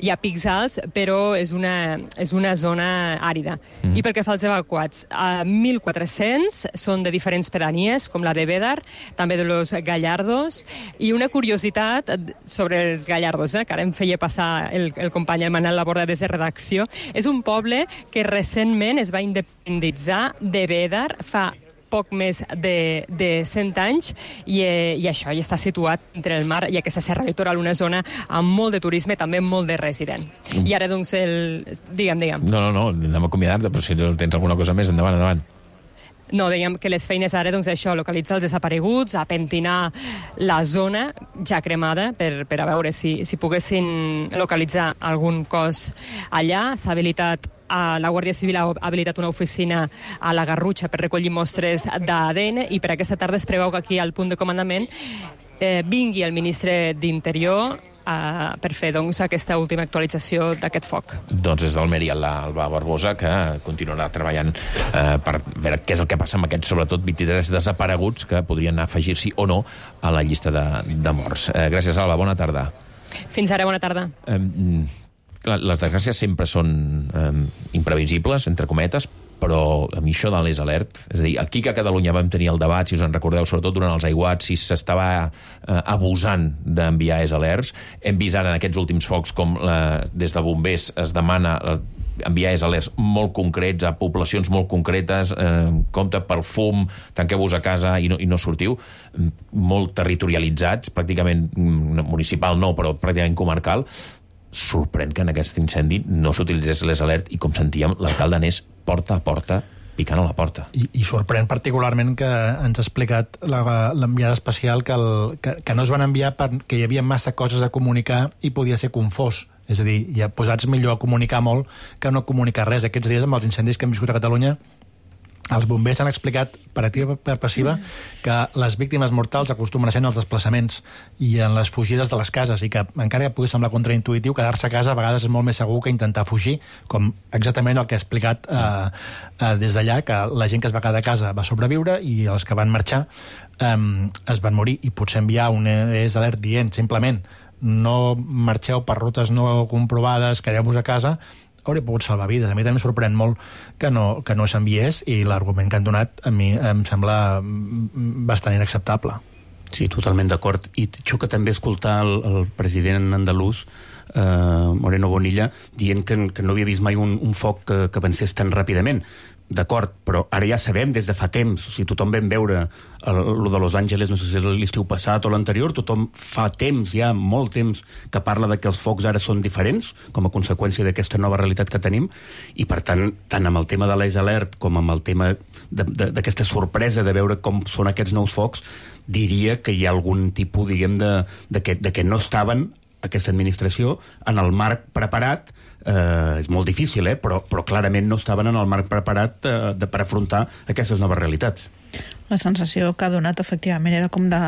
Hi ha pics alts, però és una, és una zona àrida. Mm. I pel que fa als evacuats, a mil quatre-cents són de diferents pedanies, com la de Bédar, també de Los Gallardos, i una curiositat sobre els Gallardos, eh, que ara em feia passar el, el company el Manel Laborda des de redacció, és un poble que recentment es va independitzar de Bédar fa poc més de, de cent anys i, eh, i això ja està situat entre el mar i aquesta serra litoral, una zona amb molt de turisme, també molt de resident. Mm. I ara, doncs, el... Digue'm, digue'm. No, no, no, anem a acomiadar-te, però si tens alguna cosa més, endavant, endavant. No, dèiem que les feines ara, doncs això, localitzar els desapareguts, a pentinar la zona ja cremada per, per a veure si, si poguessin localitzar algun cos allà. S'ha habilitat a la Guàrdia Civil ha habilitat una oficina a la Garrutxa per recollir mostres d'A D N i per aquesta tarda es preveu que aquí al punt de comandament eh, vingui el ministre d'Interior eh, per fer doncs, aquesta última actualització d'aquest foc. Doncs és d'Almeria l'Alba Barbosa, que continuarà treballant eh, per veure què és el que passa amb aquests, sobretot vint-i-tres desapareguts que podrien afegir-s'hi o no a la llista de, de morts. Eh, gràcies, Alba. Bona tarda. Fins ara, bona tarda. Eh, les desgràcies sempre són eh, imprevisibles, entre cometes, però a mi això de les alert, és a dir, aquí que a Catalunya vam tenir el debat, si us en recordeu, sobretot durant els aiguats, si s'estava eh, abusant d'enviar es alerts, hem vist ara en aquests últims focs com la, des de bombers es demana la, enviar es alerts molt concrets a poblacions molt concretes, eh, compte pel fum, tanqueu-vos a casa i no, i no sortiu, molt territorialitzats, pràcticament municipal no, però pràcticament comarcal. Sorprèn que en aquest incendi no s'utilitzés les alert i, com sentíem, l'alcalde anés porta a porta picant a la porta. I, i sorprèn particularment que ens ha explicat l'enviada especial que, el, que, que no es van enviar perquè hi havia massa coses a comunicar i podia ser confós. És a dir, ja posats millor a comunicar molt que no comunicar res. Aquests dies, amb els incendis que hem viscut a Catalunya, els bombers han explicat per activa per passiva que les víctimes mortals acostumen a ser en els desplaçaments i en les fugides de les cases, i que encara que pugui semblar contraintuitiu, quedar-se a casa a vegades és molt més segur que intentar fugir, com exactament el que ha explicat eh, eh, des d'allà, que la gent que es va quedar a casa va sobreviure i els que van marxar eh, es van morir. I potser enviar un E S alert dient simplement no marxeu per rutes no comprovades, quedeu-vos a casa, hauria pogut salvar vides. A mi també em sorprèn molt que no, que no s'enviés, i l'argument que han donat a mi em sembla bastant inacceptable. Sí, totalment d'acord. I xoca també escoltar el, el president andalús, eh, Moreno Bonilla, dient que, que no havia vist mai un, un foc que, que avancés tan ràpidament. D'acord, però ara ja sabem des de fa temps, o sigui, tothom vam veure el, el de Los Angeles, no sé si és l'estiu passat o l'anterior, tothom fa temps, ja molt temps, que parla de que els focs ara són diferents, com a conseqüència d'aquesta nova realitat que tenim, i per tant, tant amb el tema de l'E S Alert com amb el tema d'aquesta sorpresa de veure com són aquests nous focs, diria que hi ha algun tipus, diguem, de, de, que, de que no estaven aquesta administració en el marc preparat. Eh, és molt difícil, eh? però, però clarament no estaven en el marc preparat eh, de, per afrontar aquestes noves realitats. La sensació que ha donat, efectivament, era com de,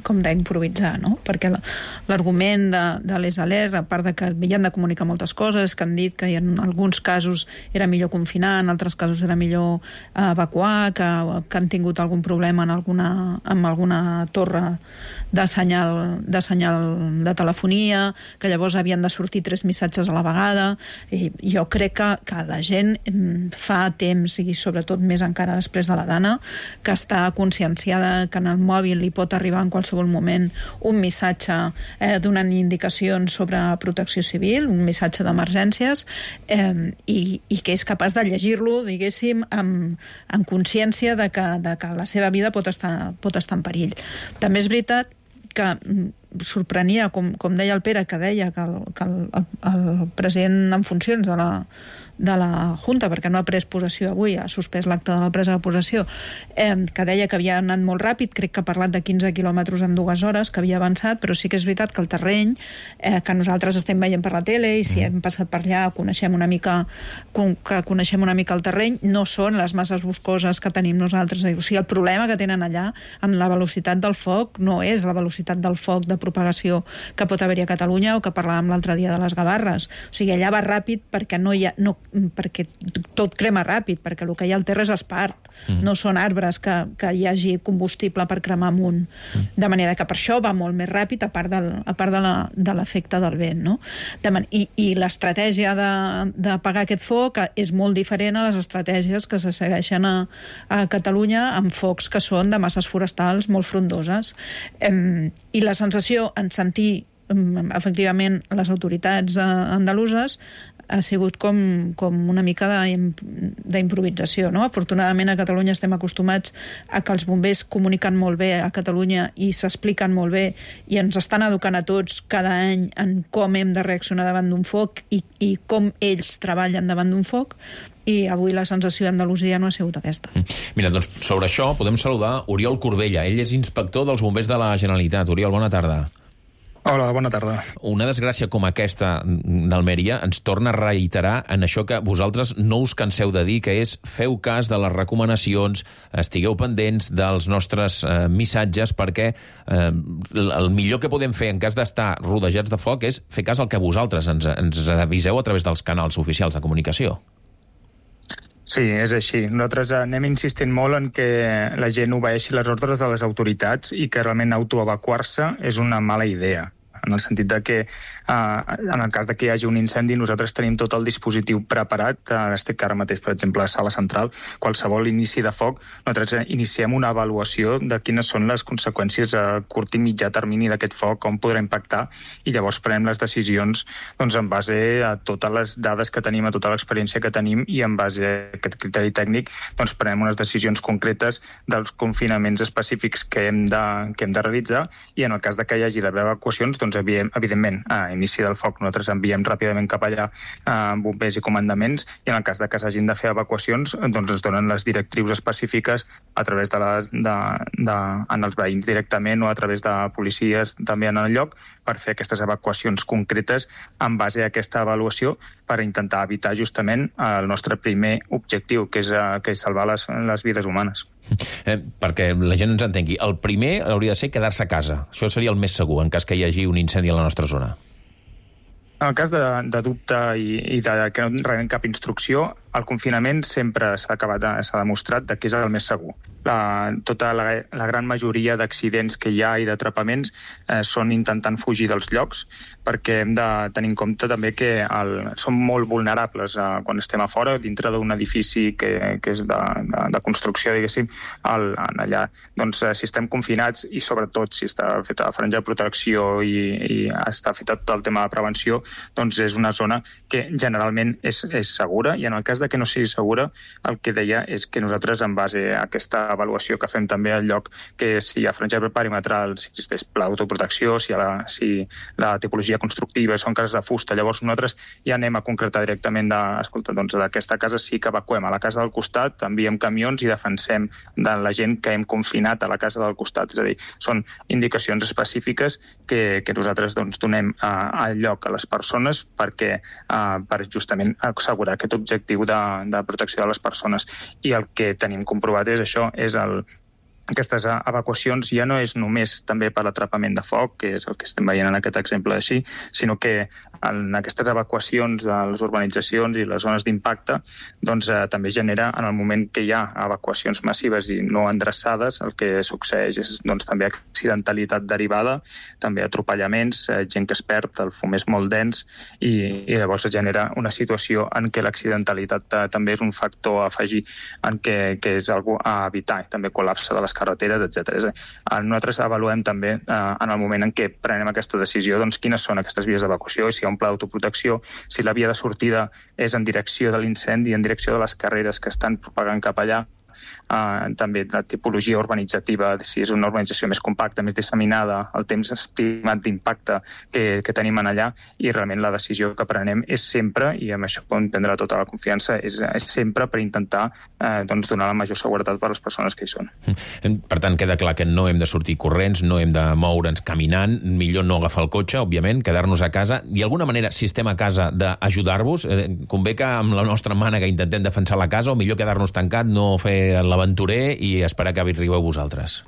com d'improvisar, no? Perquè l'argument de, de les alertes, a part de que havien de comunicar moltes coses, que han dit que en alguns casos era millor confinar, en altres casos era millor evacuar, que, que han tingut algun problema en alguna, amb alguna torre de senyal, de senyal de telefonia, que llavors havien de sortir tres missatges a la vegada. I jo crec que, que la gent fa temps, i sobretot més encara després de la Dana, que està conscienciada que en el mòbil li pot arribar en qualsevol moment un missatge eh, donant indicacions sobre protecció civil, un missatge d'emergències, eh, i, i que és capaç de llegir-lo, diguéssim, amb, amb consciència de que, de que la seva vida pot estar, pot estar en perill. També és veritat que sorprenia, com, com deia el Pere, que deia que el, que el, el president en funcions de la, de la Junta, perquè no ha pres possessió avui, ha suspès l'acte de la presa de possessió, eh, que deia que havia anat molt ràpid, crec que ha parlat de quinze quilòmetres en dues hores, que havia avançat, però sí que és veritat que el terreny, eh, que nosaltres estem veient per la tele, i si hem passat per allà, coneixem una mica, que coneixem una mica el terreny, no són les masses boscoses que tenim nosaltres. O sigui, el problema que tenen allà, en la velocitat del foc, no és la velocitat del foc de propagació que pot haver-hi a Catalunya, o que parlàvem l'altre dia de les Gavarres. O sigui, allà va ràpid perquè no hi ha... No, perquè tot crema ràpid, perquè el que hi ha al terra és espart, mm. no són arbres que, que hi hagi combustible per cremar amunt. Mm. De manera que per això va molt més ràpid, a part, del, a part de l'efecte de del vent. No? De man I i l'estratègia d'apagar aquest foc és molt diferent a les estratègies que se segueixen a, a Catalunya amb focs que són de masses forestals molt frondoses. Em, I la sensació en sentir efectivament les autoritats andaluses ha sigut com, com una mica d'improvisació, no? Afortunadament a Catalunya estem acostumats a que els bombers comuniquen molt bé a Catalunya i s'expliquen molt bé i ens estan educant a tots cada any en com hem de reaccionar davant d'un foc i, i com ells treballen davant d'un foc, i avui la sensació d'Andalusia no ha sigut aquesta. Mira, doncs sobre això podem saludar Oriol Corbella. Ell és inspector dels bombers de la Generalitat. Oriol, bona tarda. Hola, bona tarda. Una desgràcia com aquesta d'Almeria ens torna a reiterar en això que vosaltres no us canseu de dir, que és feu cas de les recomanacions, estigueu pendents dels nostres eh, missatges, perquè eh, el millor que podem fer en cas d'estar rodejats de foc és fer cas al que vosaltres ens, ens aviseu a través dels canals oficials de comunicació. Sí, és així. Nosaltres anem insistint molt en que la gent obeeixi les ordres de les autoritats i que realment autoevacuar-se és una mala idea. En el sentit de que, eh, en el cas de que hi hagi un incendi, nosaltres tenim tot el dispositiu preparat. Eh, estic ara mateix, per exemple, a Sala Central. Qualsevol inici de foc, nosaltres iniciem una avaluació de quines són les conseqüències a curt i mitjà termini d'aquest foc, com podrà impactar, i llavors prenem les decisions doncs, en base a totes les dades que tenim, a tota l'experiència que tenim, i en base a aquest criteri tècnic doncs, prenem unes decisions concretes dels confinaments específics que hem de, que hem de realitzar, i en el cas de que hi hagi d'haver evacuacions, doncs, evidentment, a inici del foc nosaltres enviem ràpidament cap allà a bombers i comandaments, i en el cas de que s'hagin de fer evacuacions, doncs ens donen les directrius específiques a través de, la, de, de en els veïns directament o a través de policies també en el lloc, per fer aquestes evacuacions concretes en base a aquesta avaluació, per intentar evitar justament el nostre primer objectiu, que és, que és salvar les, les vides humanes. Eh, perquè la gent ens entengui, el primer hauria de ser quedar-se a casa. Això seria el més segur, en cas que hi hagi un incendi a la nostra zona. En el cas de, de dubte i, i de que no rebem cap instrucció, el confinament sempre s'ha acabat, s'ha demostrat que és el més segur. La, tota la, la gran majoria d'accidents que hi ha i d'atrapaments eh, són intentant fugir dels llocs, perquè hem de tenir en compte també que el, som molt vulnerables eh, quan estem a fora, dintre d'un edifici que, que és de, de, de construcció, diguéssim, el, allà. Doncs eh, si estem confinats i sobretot si està feta la franja de protecció i, i està feta tot el tema de prevenció, doncs és una zona que generalment és, és segura, i en el cas de que no sigui segura, el que deia és que nosaltres, en base a aquesta avaluació que fem també al lloc, que si hi ha franja perimetral, si existeix pla d'autoprotecció, si, la, si la tipologia constructiva són cases de fusta, llavors nosaltres ja anem a concretar directament de, escolta, doncs d'aquesta casa sí que evacuem a la casa del costat, enviem camions i defensem de la gent que hem confinat a la casa del costat. És a dir, són indicacions específiques que, que nosaltres doncs, donem a, al lloc a les persones perquè, uh, per justament assegurar aquest objectiu de, de protecció de les persones. I el que tenim comprovat és això, és el, aquestes evacuacions ja no és només també per l'atrapament de foc, que és el que estem veient en aquest exemple així, sinó que en aquestes evacuacions de les urbanitzacions i les zones d'impacte doncs, eh, també genera, en el moment que hi ha evacuacions massives i no endreçades, el que succeeix és doncs, també accidentalitat derivada, també atropellaments, eh, gent que es perd, el fum és molt dens i, i llavors es genera una situació en què l'accidentalitat eh, també és un factor a afegir en què, que és algo a evitar, també col·lapse de les carreteres, etcètera. Nosaltres avaluem també eh, en el moment en què prenem aquesta decisió doncs, quines són aquestes vies d'evacuació i si hi ha un pla d'autoprotecció, si la via de sortida és en direcció de l'incendi, en direcció de les carreres que estan propagant cap allà, Uh, també la tipologia urbanitzativa, si és una urbanització més compacta, més disseminada, el temps estimat d'impacte que, que tenim en allà, i realment la decisió que prenem és sempre, i amb això podem prendre tota la confiança, és, és sempre per intentar uh, doncs, donar la major seguretat per a les persones que hi són. Per tant, queda clar que no hem de sortir corrents, no hem de moure'ns caminant, millor no agafar el cotxe, òbviament, quedar-nos a casa, i d'alguna manera, si estem a casa, d'ajudar-vos, eh, convé que amb la nostra mànega intentem defensar la casa, o millor quedar-nos tancat, no fer l'aventurer i esperar que arribeu vosaltres?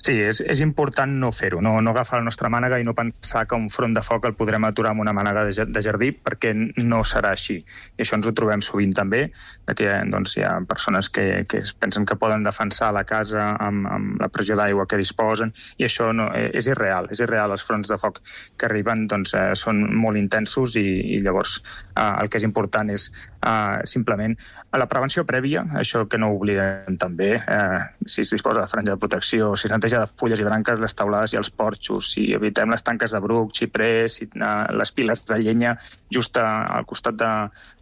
Sí, és, és important no fer-ho, no, no agafar la nostra mànega i no pensar que un front de foc el podrem aturar amb una mànega de, de jardí, perquè no serà així. I això ens ho trobem sovint també, que doncs, hi ha persones que, que pensen que poden defensar la casa amb, amb la pressió d'aigua que disposen, i això no, és irreal, és irreal. Els fronts de foc que arriben doncs, eh, són molt intensos i, i llavors eh, el que és important és eh, simplement la prevenció prèvia, això que no oblidem també, eh, si es disposa de franja de protecció, si s'enteja de fulles i branques, les taulades i els porxos, si evitem les tanques de bruc, xiprer, si, uh, les piles de llenya just a, al costat de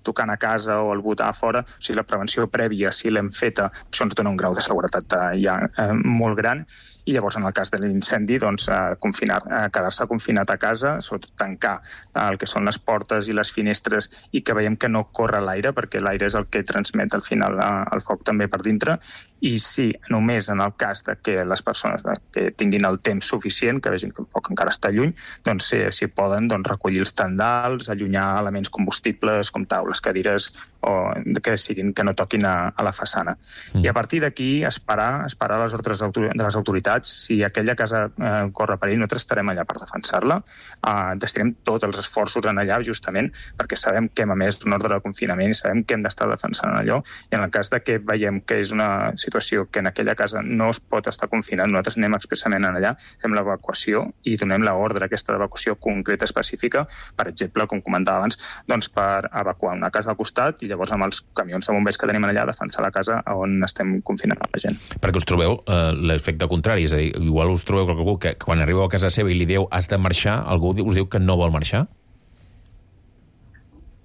tocant a casa o al botar a fora, o sigui, la prevenció prèvia, si l'hem feta, això ens dona un grau de seguretat uh, ja uh, molt gran. I llavors, en el cas de l'incendi, doncs, eh, confinar, eh, quedar-se confinat a casa, sobretot tancar eh, el que són les portes i les finestres i que veiem que no corre l'aire, perquè l'aire és el que transmet al final eh, el foc també per dintre, i sí, només en el cas de que les persones de, que tinguin el temps suficient, que vegin que el foc encara està lluny, doncs si, si poden doncs, recollir els tendals, allunyar elements combustibles com taules, cadires, o que siguin que no toquin a, a la façana. Mm. I a partir d'aquí esperar, esperar les ordres de les autoritats. Si aquella casa eh, corre perill, nosaltres estarem allà per defensar-la. Eh, destinem tots els esforços en allà justament perquè sabem que hem emès un ordre de confinament i sabem que hem d'estar defensant allò, i en el cas de que veiem que és una situació que en aquella casa no es pot estar confinant, nosaltres anem expressament en allà, fem l'evacuació i donem l'ordre aquesta d'evacuació concreta específica, per exemple, com comentava abans, doncs per evacuar una casa al costat i llavors amb els camions de bombers que tenim allà defensar la casa on estem confinant la gent. Perquè us trobeu eh, l'efecte contrari, és a dir, igual us trobeu que algú que quan arribeu a casa seva i li diu has de marxar, algú us diu que no vol marxar?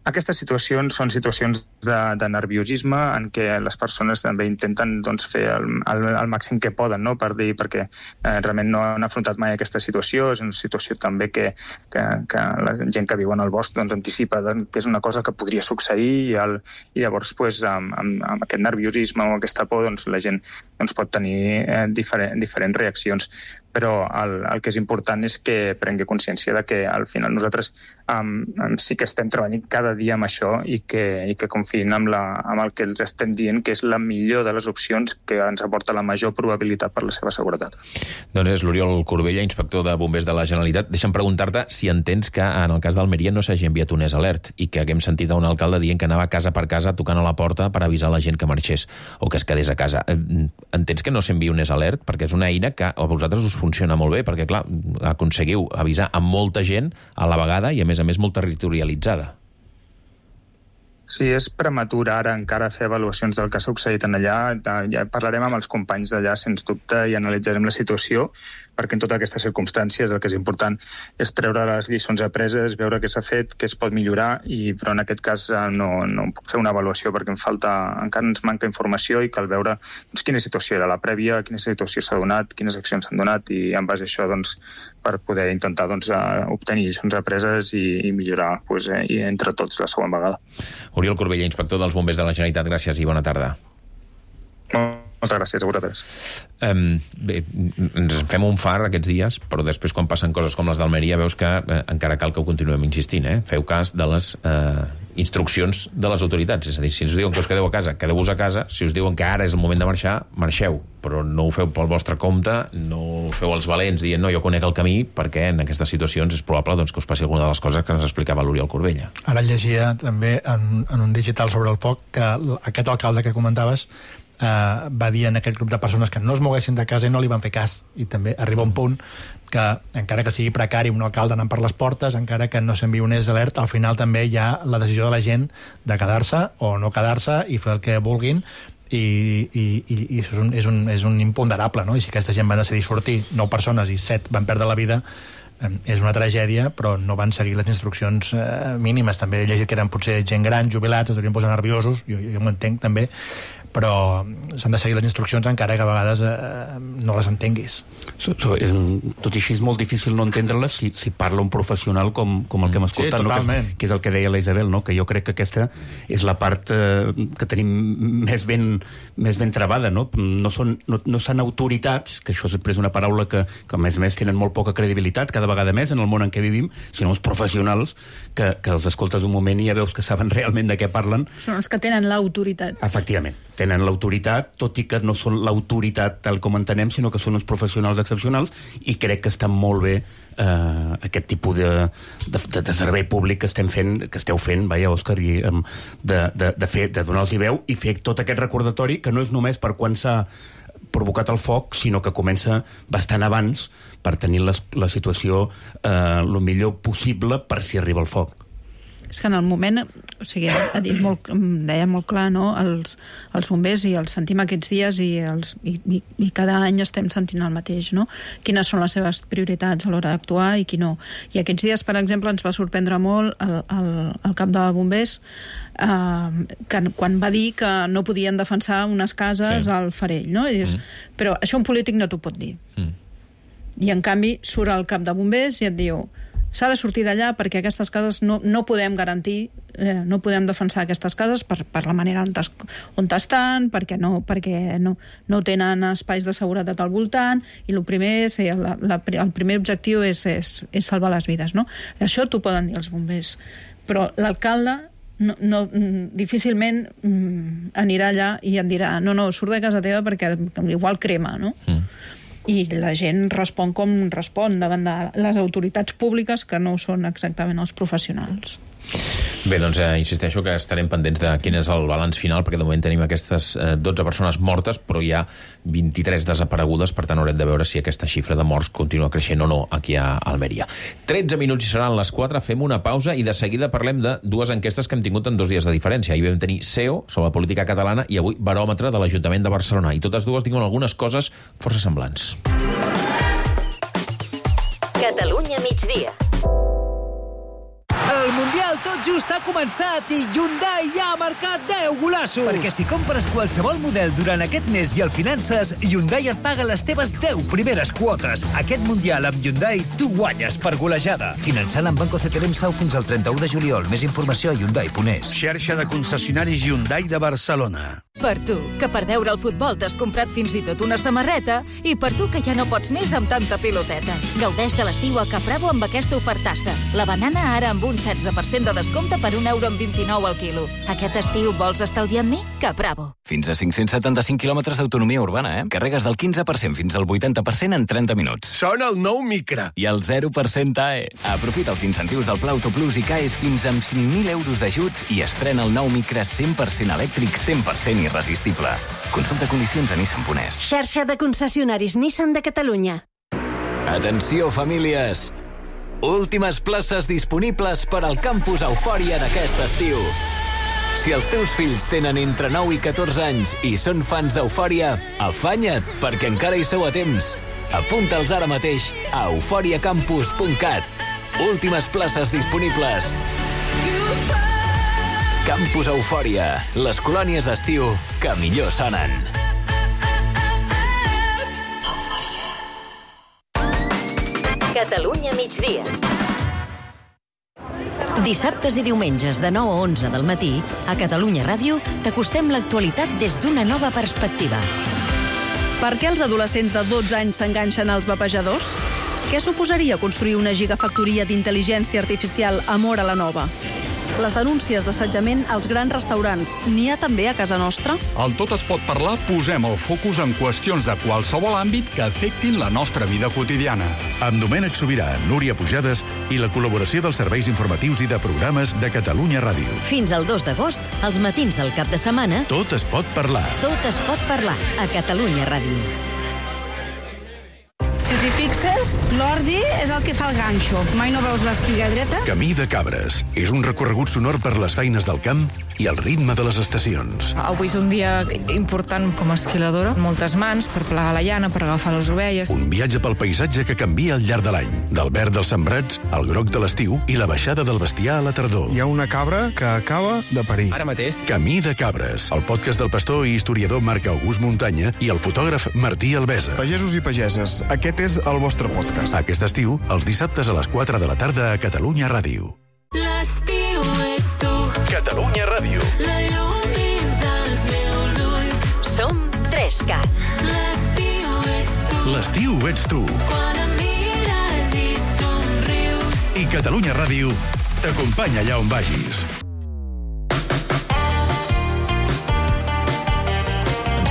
Aquestes situacions són situacions de, de nerviosisme en què les persones també intenten doncs, fer el, el, el màxim que poden, no? Per dir, perquè eh, realment no han afrontat mai aquesta situació, és una situació també que, que, que la gent que viu en el bosc doncs, anticipa doncs, que és una cosa que podria succeir i, el, i llavors pues, amb, amb, amb aquest nerviosisme o aquesta por doncs, la gent doncs, pot tenir eh, diferent, diferents reaccions. Però el, el que és important és que prengui consciència de que al final nosaltres um, sí que estem treballant cada dia amb això i que, i que confiïn amb, la, amb el que els estem dient que és la millor de les opcions que ens aporta la major probabilitat per la seva seguretat. Doncs és l'Oriol Corbella, inspector de Bombers de la Generalitat. Deixa'm preguntar-te si entens que en el cas d'Almeria no s'hagi enviat un S alert i que haguem sentit a un alcalde dient que anava casa per casa tocant a la porta per avisar la gent que marxés o que es quedés a casa. Entens que no s'envia un S alert? Perquè és una eina que a vosaltres us funciona molt bé, perquè, clar, aconseguiu avisar a molta gent a la vegada i, a més a més, molt territorialitzada. Sí, és prematur ara encara fer avaluacions del que ha succeït en allà. Ja parlarem amb els companys d'allà, sens dubte, i analitzarem la situació, perquè en totes aquestes circumstàncies el que és important és treure les lliçons apreses, veure què s'ha fet, què es pot millorar, i, però en aquest cas no, no puc fer una avaluació perquè em falta, encara ens manca informació i cal veure doncs, quina situació era la prèvia, quina situació s'ha donat, quines accions s'han donat, i en base a això doncs, per poder intentar doncs, obtenir lliçons apreses i, i millorar doncs, eh, i entre tots la següent vegada. Oriol Corbella, inspector dels Bombers de la Generalitat, gràcies i bona tarda. Moltes gràcies a vosaltres. Um, bé, ens fem un far aquests dies, però després quan passen coses com les d'Almeria veus que eh, encara cal que ho continuem insistint, eh? Feu cas de les eh, instruccions de les autoritats. És a dir, si us diuen que us quedeu a casa, quedeu-vos a casa. Si us diuen que ara és el moment de marxar, marxeu. Però no ho feu pel vostre compte, no us feu els valents dient no, jo conec el camí, perquè en aquestes situacions és probable doncs, que us passi alguna de les coses que ens explicava l'Oriol Corbella. Ara llegia també en, en un digital sobre el foc que aquest alcalde que comentaves eh, va dir en aquest grup de persones que no es moguessin de casa i no li van fer cas. I també arriba un punt que, encara que sigui precari un alcalde anant per les portes, encara que no s'enviï un S alert, al final també hi ha la decisió de la gent de quedar-se o no quedar-se i fer el que vulguin, i, i, i, i això és un, és, un, és un imponderable, no? I si aquesta gent va decidir sortir, nou persones i set van perdre la vida, eh, és una tragèdia, però no van seguir les instruccions eh, mínimes. També he llegit que eren potser gent gran, jubilats, es deurien posar nerviosos, jo, jo m'ho entenc també, però s'han de seguir les instruccions encara que a vegades eh, no les entenguis. So, so, és, tot i així és molt difícil no entendre-les si, si parla un professional com, com el que hem escoltat, sí, no? que, que és el que deia la Isabel, no? Que jo crec que aquesta és la part eh, que tenim més ben, més ben travada, no? No són, no, no són autoritats, que això és després una paraula que, que a més a més tenen molt poca credibilitat cada vegada més en el món en què vivim, sinó els professionals que, que els escoltes un moment i ja veus que saben realment de què parlen. Són els que tenen l'autoritat. Efectivament. Tenen l'autoritat, tot i que no són l'autoritat tal com entenem, sinó que són uns professionals excepcionals, i crec que està molt bé eh, aquest tipus de, de, de servei públic que estem fent, que esteu fent, vaja, Òscar, i, de, de, de, fer, de donar-los veu i fer tot aquest recordatori, que no és només per quan s'ha provocat el foc, sinó que comença bastant abans per tenir les, la situació eh, el millor possible per si arriba el foc. És que en el moment, o sigui, ha dit molt, deia molt clar, no? Els, els bombers, i els sentim aquests dies, i, els, i, i, i cada any estem sentint el mateix, no? Quines són les seves prioritats a l'hora d'actuar i qui no. I aquests dies, per exemple, ens va sorprendre molt el, el, el cap de bombers eh, que, quan va dir que no podien defensar unes cases sí. al Farell, no? I dius, mm. però això un polític no t'ho pot dir. Mm. I en canvi surt el cap de bombers i et diu s'ha de sortir d'allà perquè aquestes cases no, no podem garantir, eh, no podem defensar aquestes cases per, per la manera on, es, on estan, perquè, no, perquè no, no tenen espais de seguretat al voltant, i el primer, és, la, la, el primer objectiu és, és, és salvar les vides, no? Això t'ho poden dir els bombers, però l'alcalde no, no, difícilment mm, anirà allà i em dirà no, no, surt de casa teva perquè igual crema, no? Mm. I la gent respon com respon davant de les autoritats públiques, que no són exactament els professionals. Bé, doncs eh, insisteixo que estarem pendents de quin és el balanç final, perquè de moment tenim aquestes eh, dotze persones mortes, però hi ha vint-i-tres desaparegudes, per tant haurem de veure si aquesta xifra de morts continua creixent o no aquí a Almeria. tretze minuts i seran les quatre, fem una pausa i de seguida parlem de dues enquestes que hem tingut en dos dies de diferència. Ahir vam tenir C E O sobre la política catalana i avui baròmetre de l'Ajuntament de Barcelona, i totes dues diuen algunes coses força semblants. Catalunya migdia. El Mundial tot just ha començat i Hyundai ja ha marcat deu golassos. Perquè si compres qualsevol model durant aquest mes i el finances, Hyundai et paga les teves deu primeres quotes. Aquest Mundial amb Hyundai tu guanyes per golejada. Finançant amb Banco C T L M S A U fins al trenta-u de juliol. Més informació a Hyundai punt es. Xarxa de concessionaris Hyundai de Barcelona. Per tu, que per veure el futbol t'has comprat fins i tot una samarreta, i per tu que ja no pots més amb tanta piloteta. Gaudeix de l'estiu a Capravo amb aquesta ofertassa. La banana ara amb un setze per cent de descompte per un euro amb vint-i-nou al quilo. Aquest estiu vols estalviar amb mi? Capravo. Fins a cinc-cents setanta-cinc quilòmetres d'autonomia urbana, eh? Carregues del quinze per cent fins al vuitanta per cent en trenta minuts. Sona el nou Micra. I el zero per cent A E. Aprofita els incentius del Pla Autoplus i caes fins amb cinc mil euros d'ajuts i estrena el nou Micra cent per cent elèctric, cent per cent irresistible. Consulta condicions a Nissan punt es. Xarxa de concessionaris Nissan de Catalunya. Atenció, famílies! Últimes places disponibles per al campus Eufòria d'aquest estiu. Si els teus fills tenen entre nou i catorze anys i són fans d'Eufòria, afanya't, perquè encara hi sou a temps. Apunta'ls ara mateix a eufòria campus punt cat. Últimes places disponibles. Campus Eufòria, les colònies d'estiu que millor sonen. Catalunya migdia. Dissabtes i diumenges de nou a onze del matí, a Catalunya Ràdio, t'acostem l'actualitat des d'una nova perspectiva. Per què els adolescents de dotze anys s'enganxen als vapejadors? Què suposaria construir una gigafactoria d'intel·ligència artificial a Móra la Nova? Les denúncies d'assetjament als grans restaurants, n'hi ha també a casa nostra? Al Tot es pot parlar posem el focus en qüestions de qualsevol àmbit que afectin la nostra vida quotidiana. Amb Domènec Sobirà, Núria Pujades i la col·laboració dels serveis informatius i de programes de Catalunya Ràdio. Fins al dos d'agost, als matins del cap de setmana... Tot es pot parlar. Tot es pot parlar a Catalunya Ràdio. Si t'hi fixes, l'ordi és el que fa el ganxo. Mai no veus l'espiga dreta? Camí de Cabres. És un recorregut sonor per les feines del camp i el ritme de les estacions. Avui és un dia important com a esquiladora. Moltes mans per plegar la llana, per agafar les ovelles. Un viatge pel paisatge que canvia al llarg de l'any. Del verd dels sembrats al groc de l'estiu i la baixada del bestiar a la tardor. Hi ha una cabra que acaba de parir. Ara mateix. Camí de Cabres. El podcast del pastor i historiador Marc August Muntanya i el fotògraf Martí Albesa. Pagesos i pageses, aquest és el vostre podcast. Aquest estiu, els dissabtes a les quatre de la tarda a Catalunya Ràdio. L'estiu ets tu. Catalunya Ràdio. La llum dins dels meus ulls. Som tres cat. L'estiu ets tu. L'estiu ets tu. Quan em mires i somrius. I Catalunya Ràdio t'acompanya allà on vagis.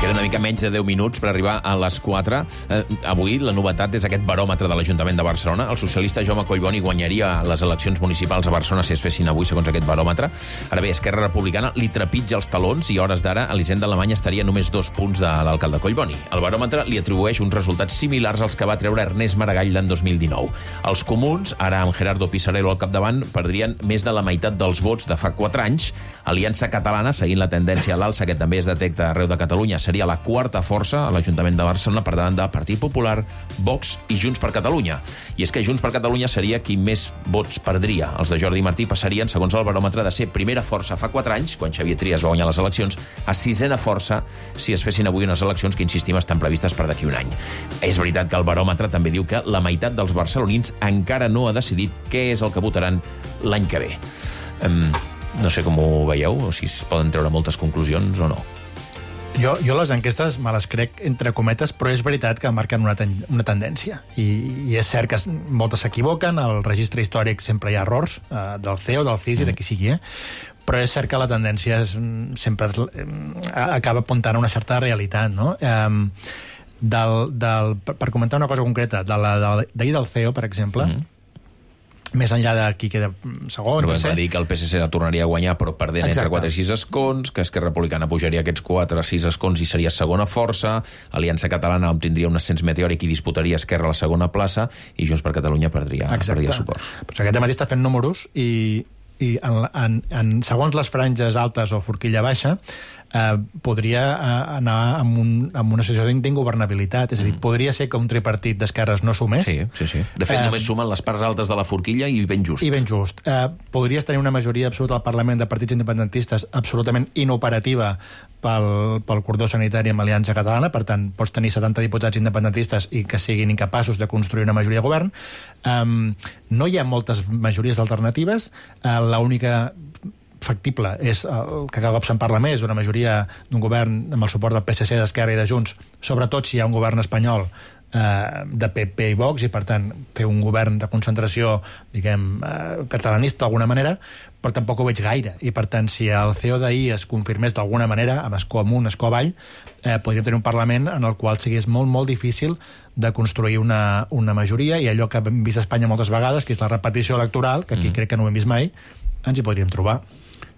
Queda una mica menys de deu minuts per arribar a les quatre. Eh, avui la novetat és aquest baròmetre de l'Ajuntament de Barcelona. El socialista Jaume Collboni guanyaria les eleccions municipals a Barcelona si es fessin avui, segons aquest baròmetre. Ara bé, Esquerra Republicana li trepitja els talons i a hores d'ara Elisenda Alemany estaria només dos punts de l'alcalde Collboni. El baròmetre li atribueix uns resultats similars als que va treure Ernest Maragall l'any dos mil dinou. Els comuns, ara amb Gerardo Pisarello al capdavant, perdrien més de la meitat dels vots de fa quatre anys. Aliança Catalana, seguint la tendència a l'alça que també es detecta arreu de Catalunya, seria la quarta força a l'Ajuntament de Barcelona per davant de Partit Popular, Vox i Junts per Catalunya. I és que Junts per Catalunya seria qui més vots perdria. Els de Jordi Martí passarien, segons el baròmetre, de ser primera força fa quatre anys, quan Xavier Trias va guanyar les eleccions, a sisena força si es fessin avui unes eleccions que, insistim, estan previstes per d'aquí un any. És veritat que el baròmetre també diu que la meitat dels barcelonins encara no ha decidit què és el que votaran l'any que ve. Um, no sé com ho veieu, o si es poden treure moltes conclusions o no. Jo, jo les enquestes me les crec entre cometes, però és veritat que marquen una, ten una tendència. I, I és cert que moltes s'equivoquen, al registre històric sempre hi ha errors, eh, del C E O, del C I S i de qui sigui, eh? Però és cert que la tendència és, sempre és, eh, acaba apuntant a una certa realitat, no? Eh, del, del, per comentar una cosa concreta, d'ahir de del C E O, per exemple, mm-hmm. més enllà de qui queda segon, però tercer... va dir que el P S C la tornaria a guanyar, però perdent Exacte. entre quatre i sis escons, que Esquerra Republicana pujaria aquests quatre a sis escons i seria segona força, Aliança Catalana obtindria un ascens meteòric i disputaria Esquerra la segona plaça, i Junts per Catalunya perdria, perdria suport. Pues aquest matí està fent números i, i en, en, en, segons les franges altes o forquilla baixa, eh, podria eh, anar amb, un, amb una situació d'ingovernabilitat. És a dir, mm. podria ser que un tripartit d'esquerres no sumés. Sí, sí, sí. De fet, eh, només sumen les parts altes de la forquilla i ben just. I ben just. Eh, podries tenir una majoria absoluta al Parlament de partits independentistes absolutament inoperativa pel, pel cordó sanitari amb Aliança Catalana, per tant, pots tenir setanta diputats independentistes i que siguin incapaços de construir una majoria de govern. Um, no hi ha moltes majories alternatives. Uh, l'única factible és el que cada cop se'n parla més, una majoria d'un govern amb el suport del P S C, d'Esquerra i de Junts, sobretot si hi ha un govern espanyol eh, de P P i Vox, i per tant fer un govern de concentració, diguem, eh, catalanista d'alguna manera, però tampoc ho veig gaire, i per tant si el C E O d'ahir es confirmés d'alguna manera, amb escó amunt, escó avall, eh, podríem tenir un Parlament en el qual sigués molt, molt difícil de construir una, una majoria, i allò que hem vist a Espanya moltes vegades, que és la repetició electoral, que aquí mm. crec que no ho hem vist mai, ens hi podríem trobar.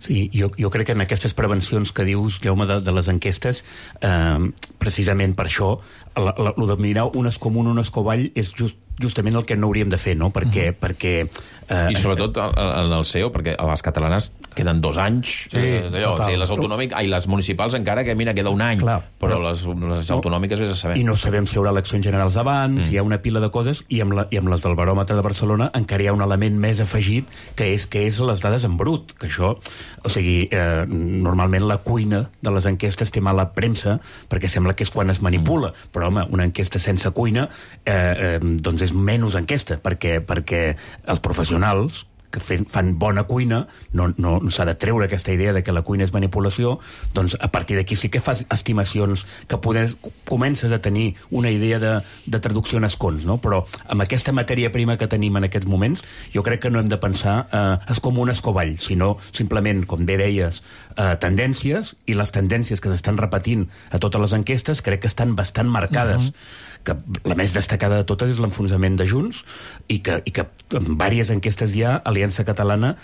Sí, jo, jo crec que en aquestes prevencions que dius, Jaume, de, de les enquestes, eh, precisament per això, la, la, lo de mirar un escó amunt, un escó avall, és just, justament el que no hauríem de fer, no? Perquè... Mm-hmm. perquè eh, I sobretot en el C E O, perquè a les catalanes queden dos anys, sí, eh, d'allò, o sigui, les autonòmiques, ai, les municipals encara que, mira, queda un any, clar, però, però les, les autonòmiques vés a saber. I no sabem si hi haurà eleccions generals abans, mm. hi ha una pila de coses, i amb, la, i amb les del baròmetre de Barcelona encara hi ha un element més afegit, que és que és les dades en brut, que això, o sigui, eh, normalment la cuina de les enquestes té mala premsa, perquè sembla que és quan es manipula, mm. però, home, una enquesta sense cuina, eh, eh, doncs és menys enquesta, perquè, perquè els professionals que fan bona cuina, no, no s'ha de treure aquesta idea de que la cuina és manipulació, doncs a partir d'aquí sí que fas estimacions, que poder, comences a tenir una idea de, de traducció en escons, no? Però amb aquesta matèria prima que tenim en aquests moments, jo crec que no hem de pensar eh, és com un escovall, sinó simplement, com bé deies, eh, tendències, i les tendències que s'estan repetint a totes les enquestes crec que estan bastant marcades. Uh-huh. Que la més destacada de totes és l'enfonsament de Junts, i que, i que en diverses enquestes ja Aliança Catalana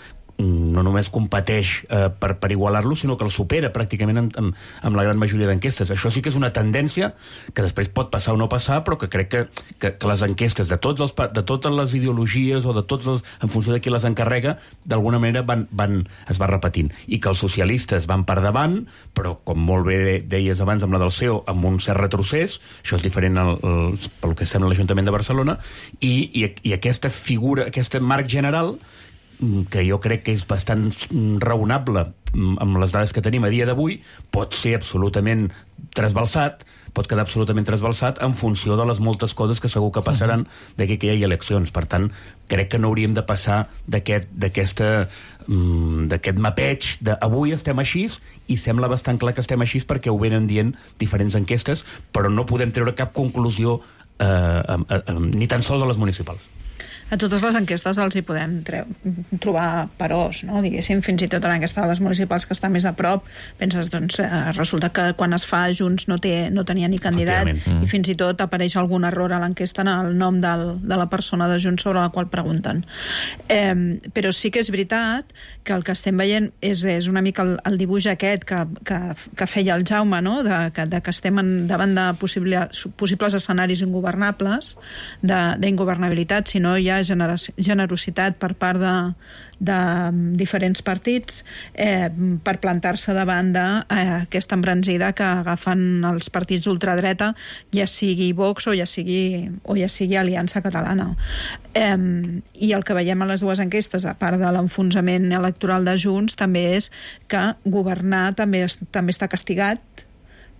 no només competeix eh, per, per igualar-lo, sinó que el supera pràcticament amb, amb, amb la gran majoria d'enquestes. Això sí que és una tendència que després pot passar o no passar, però que crec que, que, que les enquestes de, tots els, de totes les ideologies o de tots els, en funció de qui les encarrega, d'alguna manera van, van, es va repetint. I que els socialistes van per davant, però com molt bé deies abans amb la del C E O, amb un cert retrocés, això és diferent al, al, pel que sembla l'Ajuntament de Barcelona, i, i, i aquesta figura, aquest marc general que jo crec que és bastant raonable amb les dades que tenim a dia d'avui, pot ser absolutament trasbalsat, pot quedar absolutament trasbalsat en funció de les moltes coses que segur que passaran d'aquí que hi hagi eleccions. Per tant, crec que no hauríem de passar d'aquest d'aquesta d'aquest mapeig de avui estem així, i sembla bastant clar que estem així perquè ho venen dient diferents enquestes, però no podem treure cap conclusió eh, eh, eh, ni tan sols a les municipals. A totes les enquestes els hi podem treu, trobar peròs, no? Diguéssim, fins i tot en aquesta de les municipals que està més a prop, penses, doncs, eh, resulta que quan es fa Junts no, té, no tenia ni candidat, mm. i fins i tot apareix algun error a l'enquesta en el nom del, de la persona de Junts sobre la qual pregunten. Eh, però sí que és veritat que el que estem veient és, és una mica el, el dibuix aquest que, que, que feia el Jaume, no? de, que, de que estem en, davant de possible, possibles escenaris ingovernables, d'ingovernabilitat, si no hi ha generositat per part de, de diferents partits eh, per plantar-se davant d'aquesta eh, embranzida que agafen els partits d'ultradreta, ja sigui Vox o ja sigui, o ja sigui Aliança Catalana. Eh, I el que veiem a les dues enquestes, a part de l'enfonsament electoral de Junts, també és que governar també, es, també està castigat,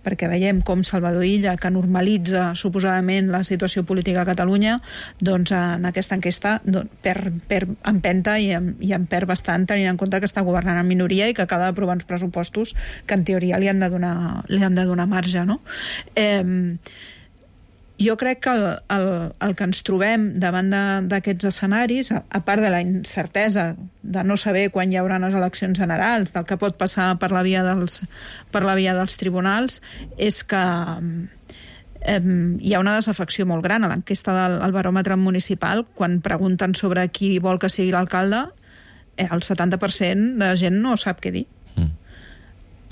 perquè veiem com Salvador Illa, que normalitza suposadament la situació política a Catalunya, doncs en aquesta enquesta doncs, per, per empenta i, i en perd bastant, tenint en compte que està governant en minoria i que acaba d'aprovar uns pressupostos que en teoria li han de donar, li han de donar marge, no? Eh, jo crec que el, el, el que ens trobem davant d'aquests escenaris, a, a part de la incertesa de no saber quan hi haurà les eleccions generals, del que pot passar per la via dels, per la via dels tribunals, és que eh, hi ha una desafecció molt gran a l'enquesta del al baròmetre municipal. Quan pregunten sobre qui vol que sigui l'alcalde, eh, el setanta per cent de la gent no sap què dir.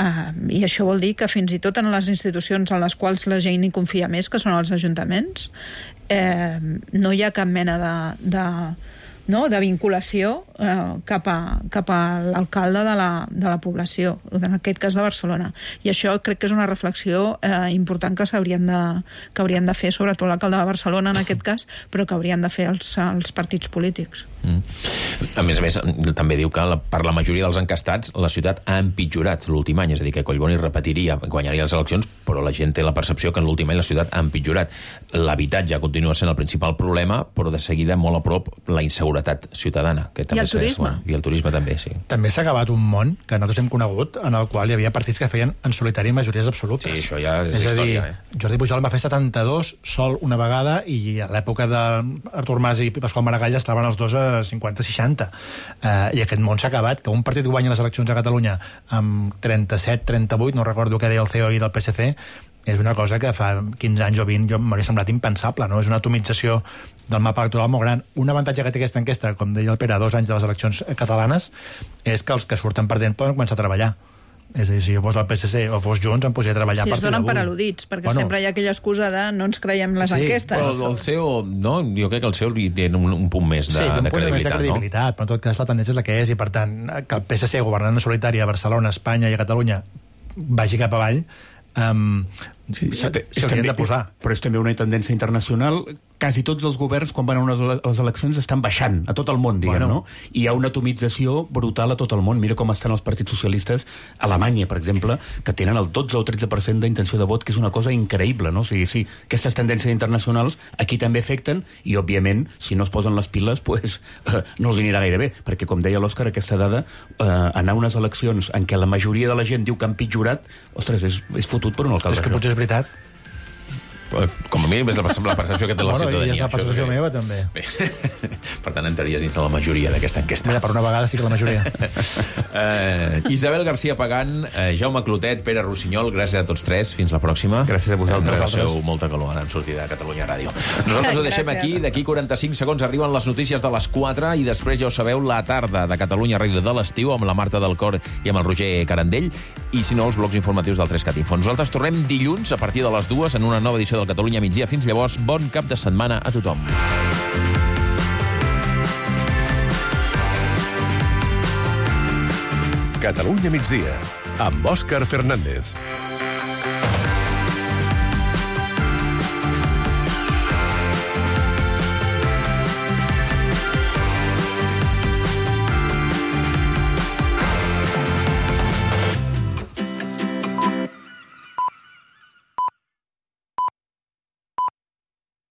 Uh, i això vol dir que fins i tot en les institucions en les quals la gent hi confia més, que són els ajuntaments, eh, no hi ha cap mena de, de, no, de vinculació eh, cap a, cap a l'alcalde de la, de la població, en aquest cas de Barcelona. I això crec que és una reflexió eh, important que s'haurien de, que haurien de fer, sobretot l'alcalde de Barcelona en aquest cas, però que haurien de fer els, els partits polítics. Mm. A més a més, també diu que la, per la majoria dels encastats la ciutat ha empitjorat l'últim any, és a dir, que Collboni repetiria, guanyaria les eleccions, però la gent té la percepció que en l'últim any la ciutat ha empitjorat. L'habitatge continua sent el principal problema, però de seguida molt a prop la inseguretat ciutadana. Que també I el turisme. Bueno, I el turisme també, sí. També s'ha acabat un món que nosaltres hem conegut en el qual hi havia partits que feien en solitari majories absolutes. Sí, això ja és, és història. A dir, eh? Jordi Pujol va fer setanta-dos sol una vegada, i a l'època d'Artur Mas i Pasqual Maragall estaven els dos a cinquanta seixanta. Uh, I aquest món s'ha acabat, que un partit guanya les eleccions a Catalunya amb trenta-set trenta-vuit, no recordo què deia el C E O i del P S C, és una cosa que fa quinze anys o vint jo m'hauria semblat impensable, no? És una atomització del mapa electoral molt gran. Un avantatge que té aquesta enquesta, com deia el Pere, a dos anys de les eleccions catalanes, és que els que surten perdent poden començar a treballar. És a dir, si fos el P S C o fos Junts, em podria treballar sí, a partir d'avui. Sí, es donen per al·ludits, perquè bueno, sempre hi ha aquella excusa de no ens creiem les sí, enquestes. Però el C E O, no? Jo crec que el C E O li té un, un punt més de, sí, un de punt credibilitat, més de credibilitat, no? Però en tot cas la tendència és la que és, i per tant, que el P S C governant en solitari a Barcelona, Espanya i a Catalunya vagi cap avall, um, Sí, Sí, és s'haurien també- de posar. Però és també una tendència internacional. Quasi tots els governs, quan van a unes ele- les eleccions, estan baixant a tot el món, diguem, Bueno. no? I hi ha una atomització brutal a tot el món. Mira com estan els partits socialistes a Alemanya, per exemple, que tenen el dotze o tretze per cent d'intenció de vot, que és una cosa increïble, no? O sigui, sí, aquestes tendències internacionals aquí també afecten i, òbviament, si no es posen les piles, pues, eh, no els anirà gaire bé, perquè, com deia l'Òscar, aquesta dada, eh, anar a unes eleccions en què la majoria de la gent diu que han pitjorat, ostres, és, és fotut per un alcalde. És que potser és veritat. Com a mínim és la, la percepció que té la Bueno, ciutadania. i és la això percepció és meva, també. Bé. Per tant, entraries dins de la majoria d'aquesta enquesta. Mira, per una vegada sí que la majoria. uh, Isabel García Pagant, uh, Jaume Clotet, Pere Rossinyol, gràcies a tots tres. Fins la pròxima. Gràcies a vosaltres. No passeu molta calor ara en sortida de Catalunya Ràdio. Nosaltres ho deixem aquí. D'aquí quaranta-cinc segons arriben les notícies de les quatre i després ja ho sabeu, la tarda de Catalunya Ràdio de l'estiu amb la Marta del Cor i amb el Roger Carandell i, si no, els blocs informatius del tres cat Info. Nosaltres tornem dilluns a partir de les dues en una nova edició del Catalunya Migdia. Fins llavors, bon cap de setmana a tothom. Catalunya migdia, amb Òscar Fernández.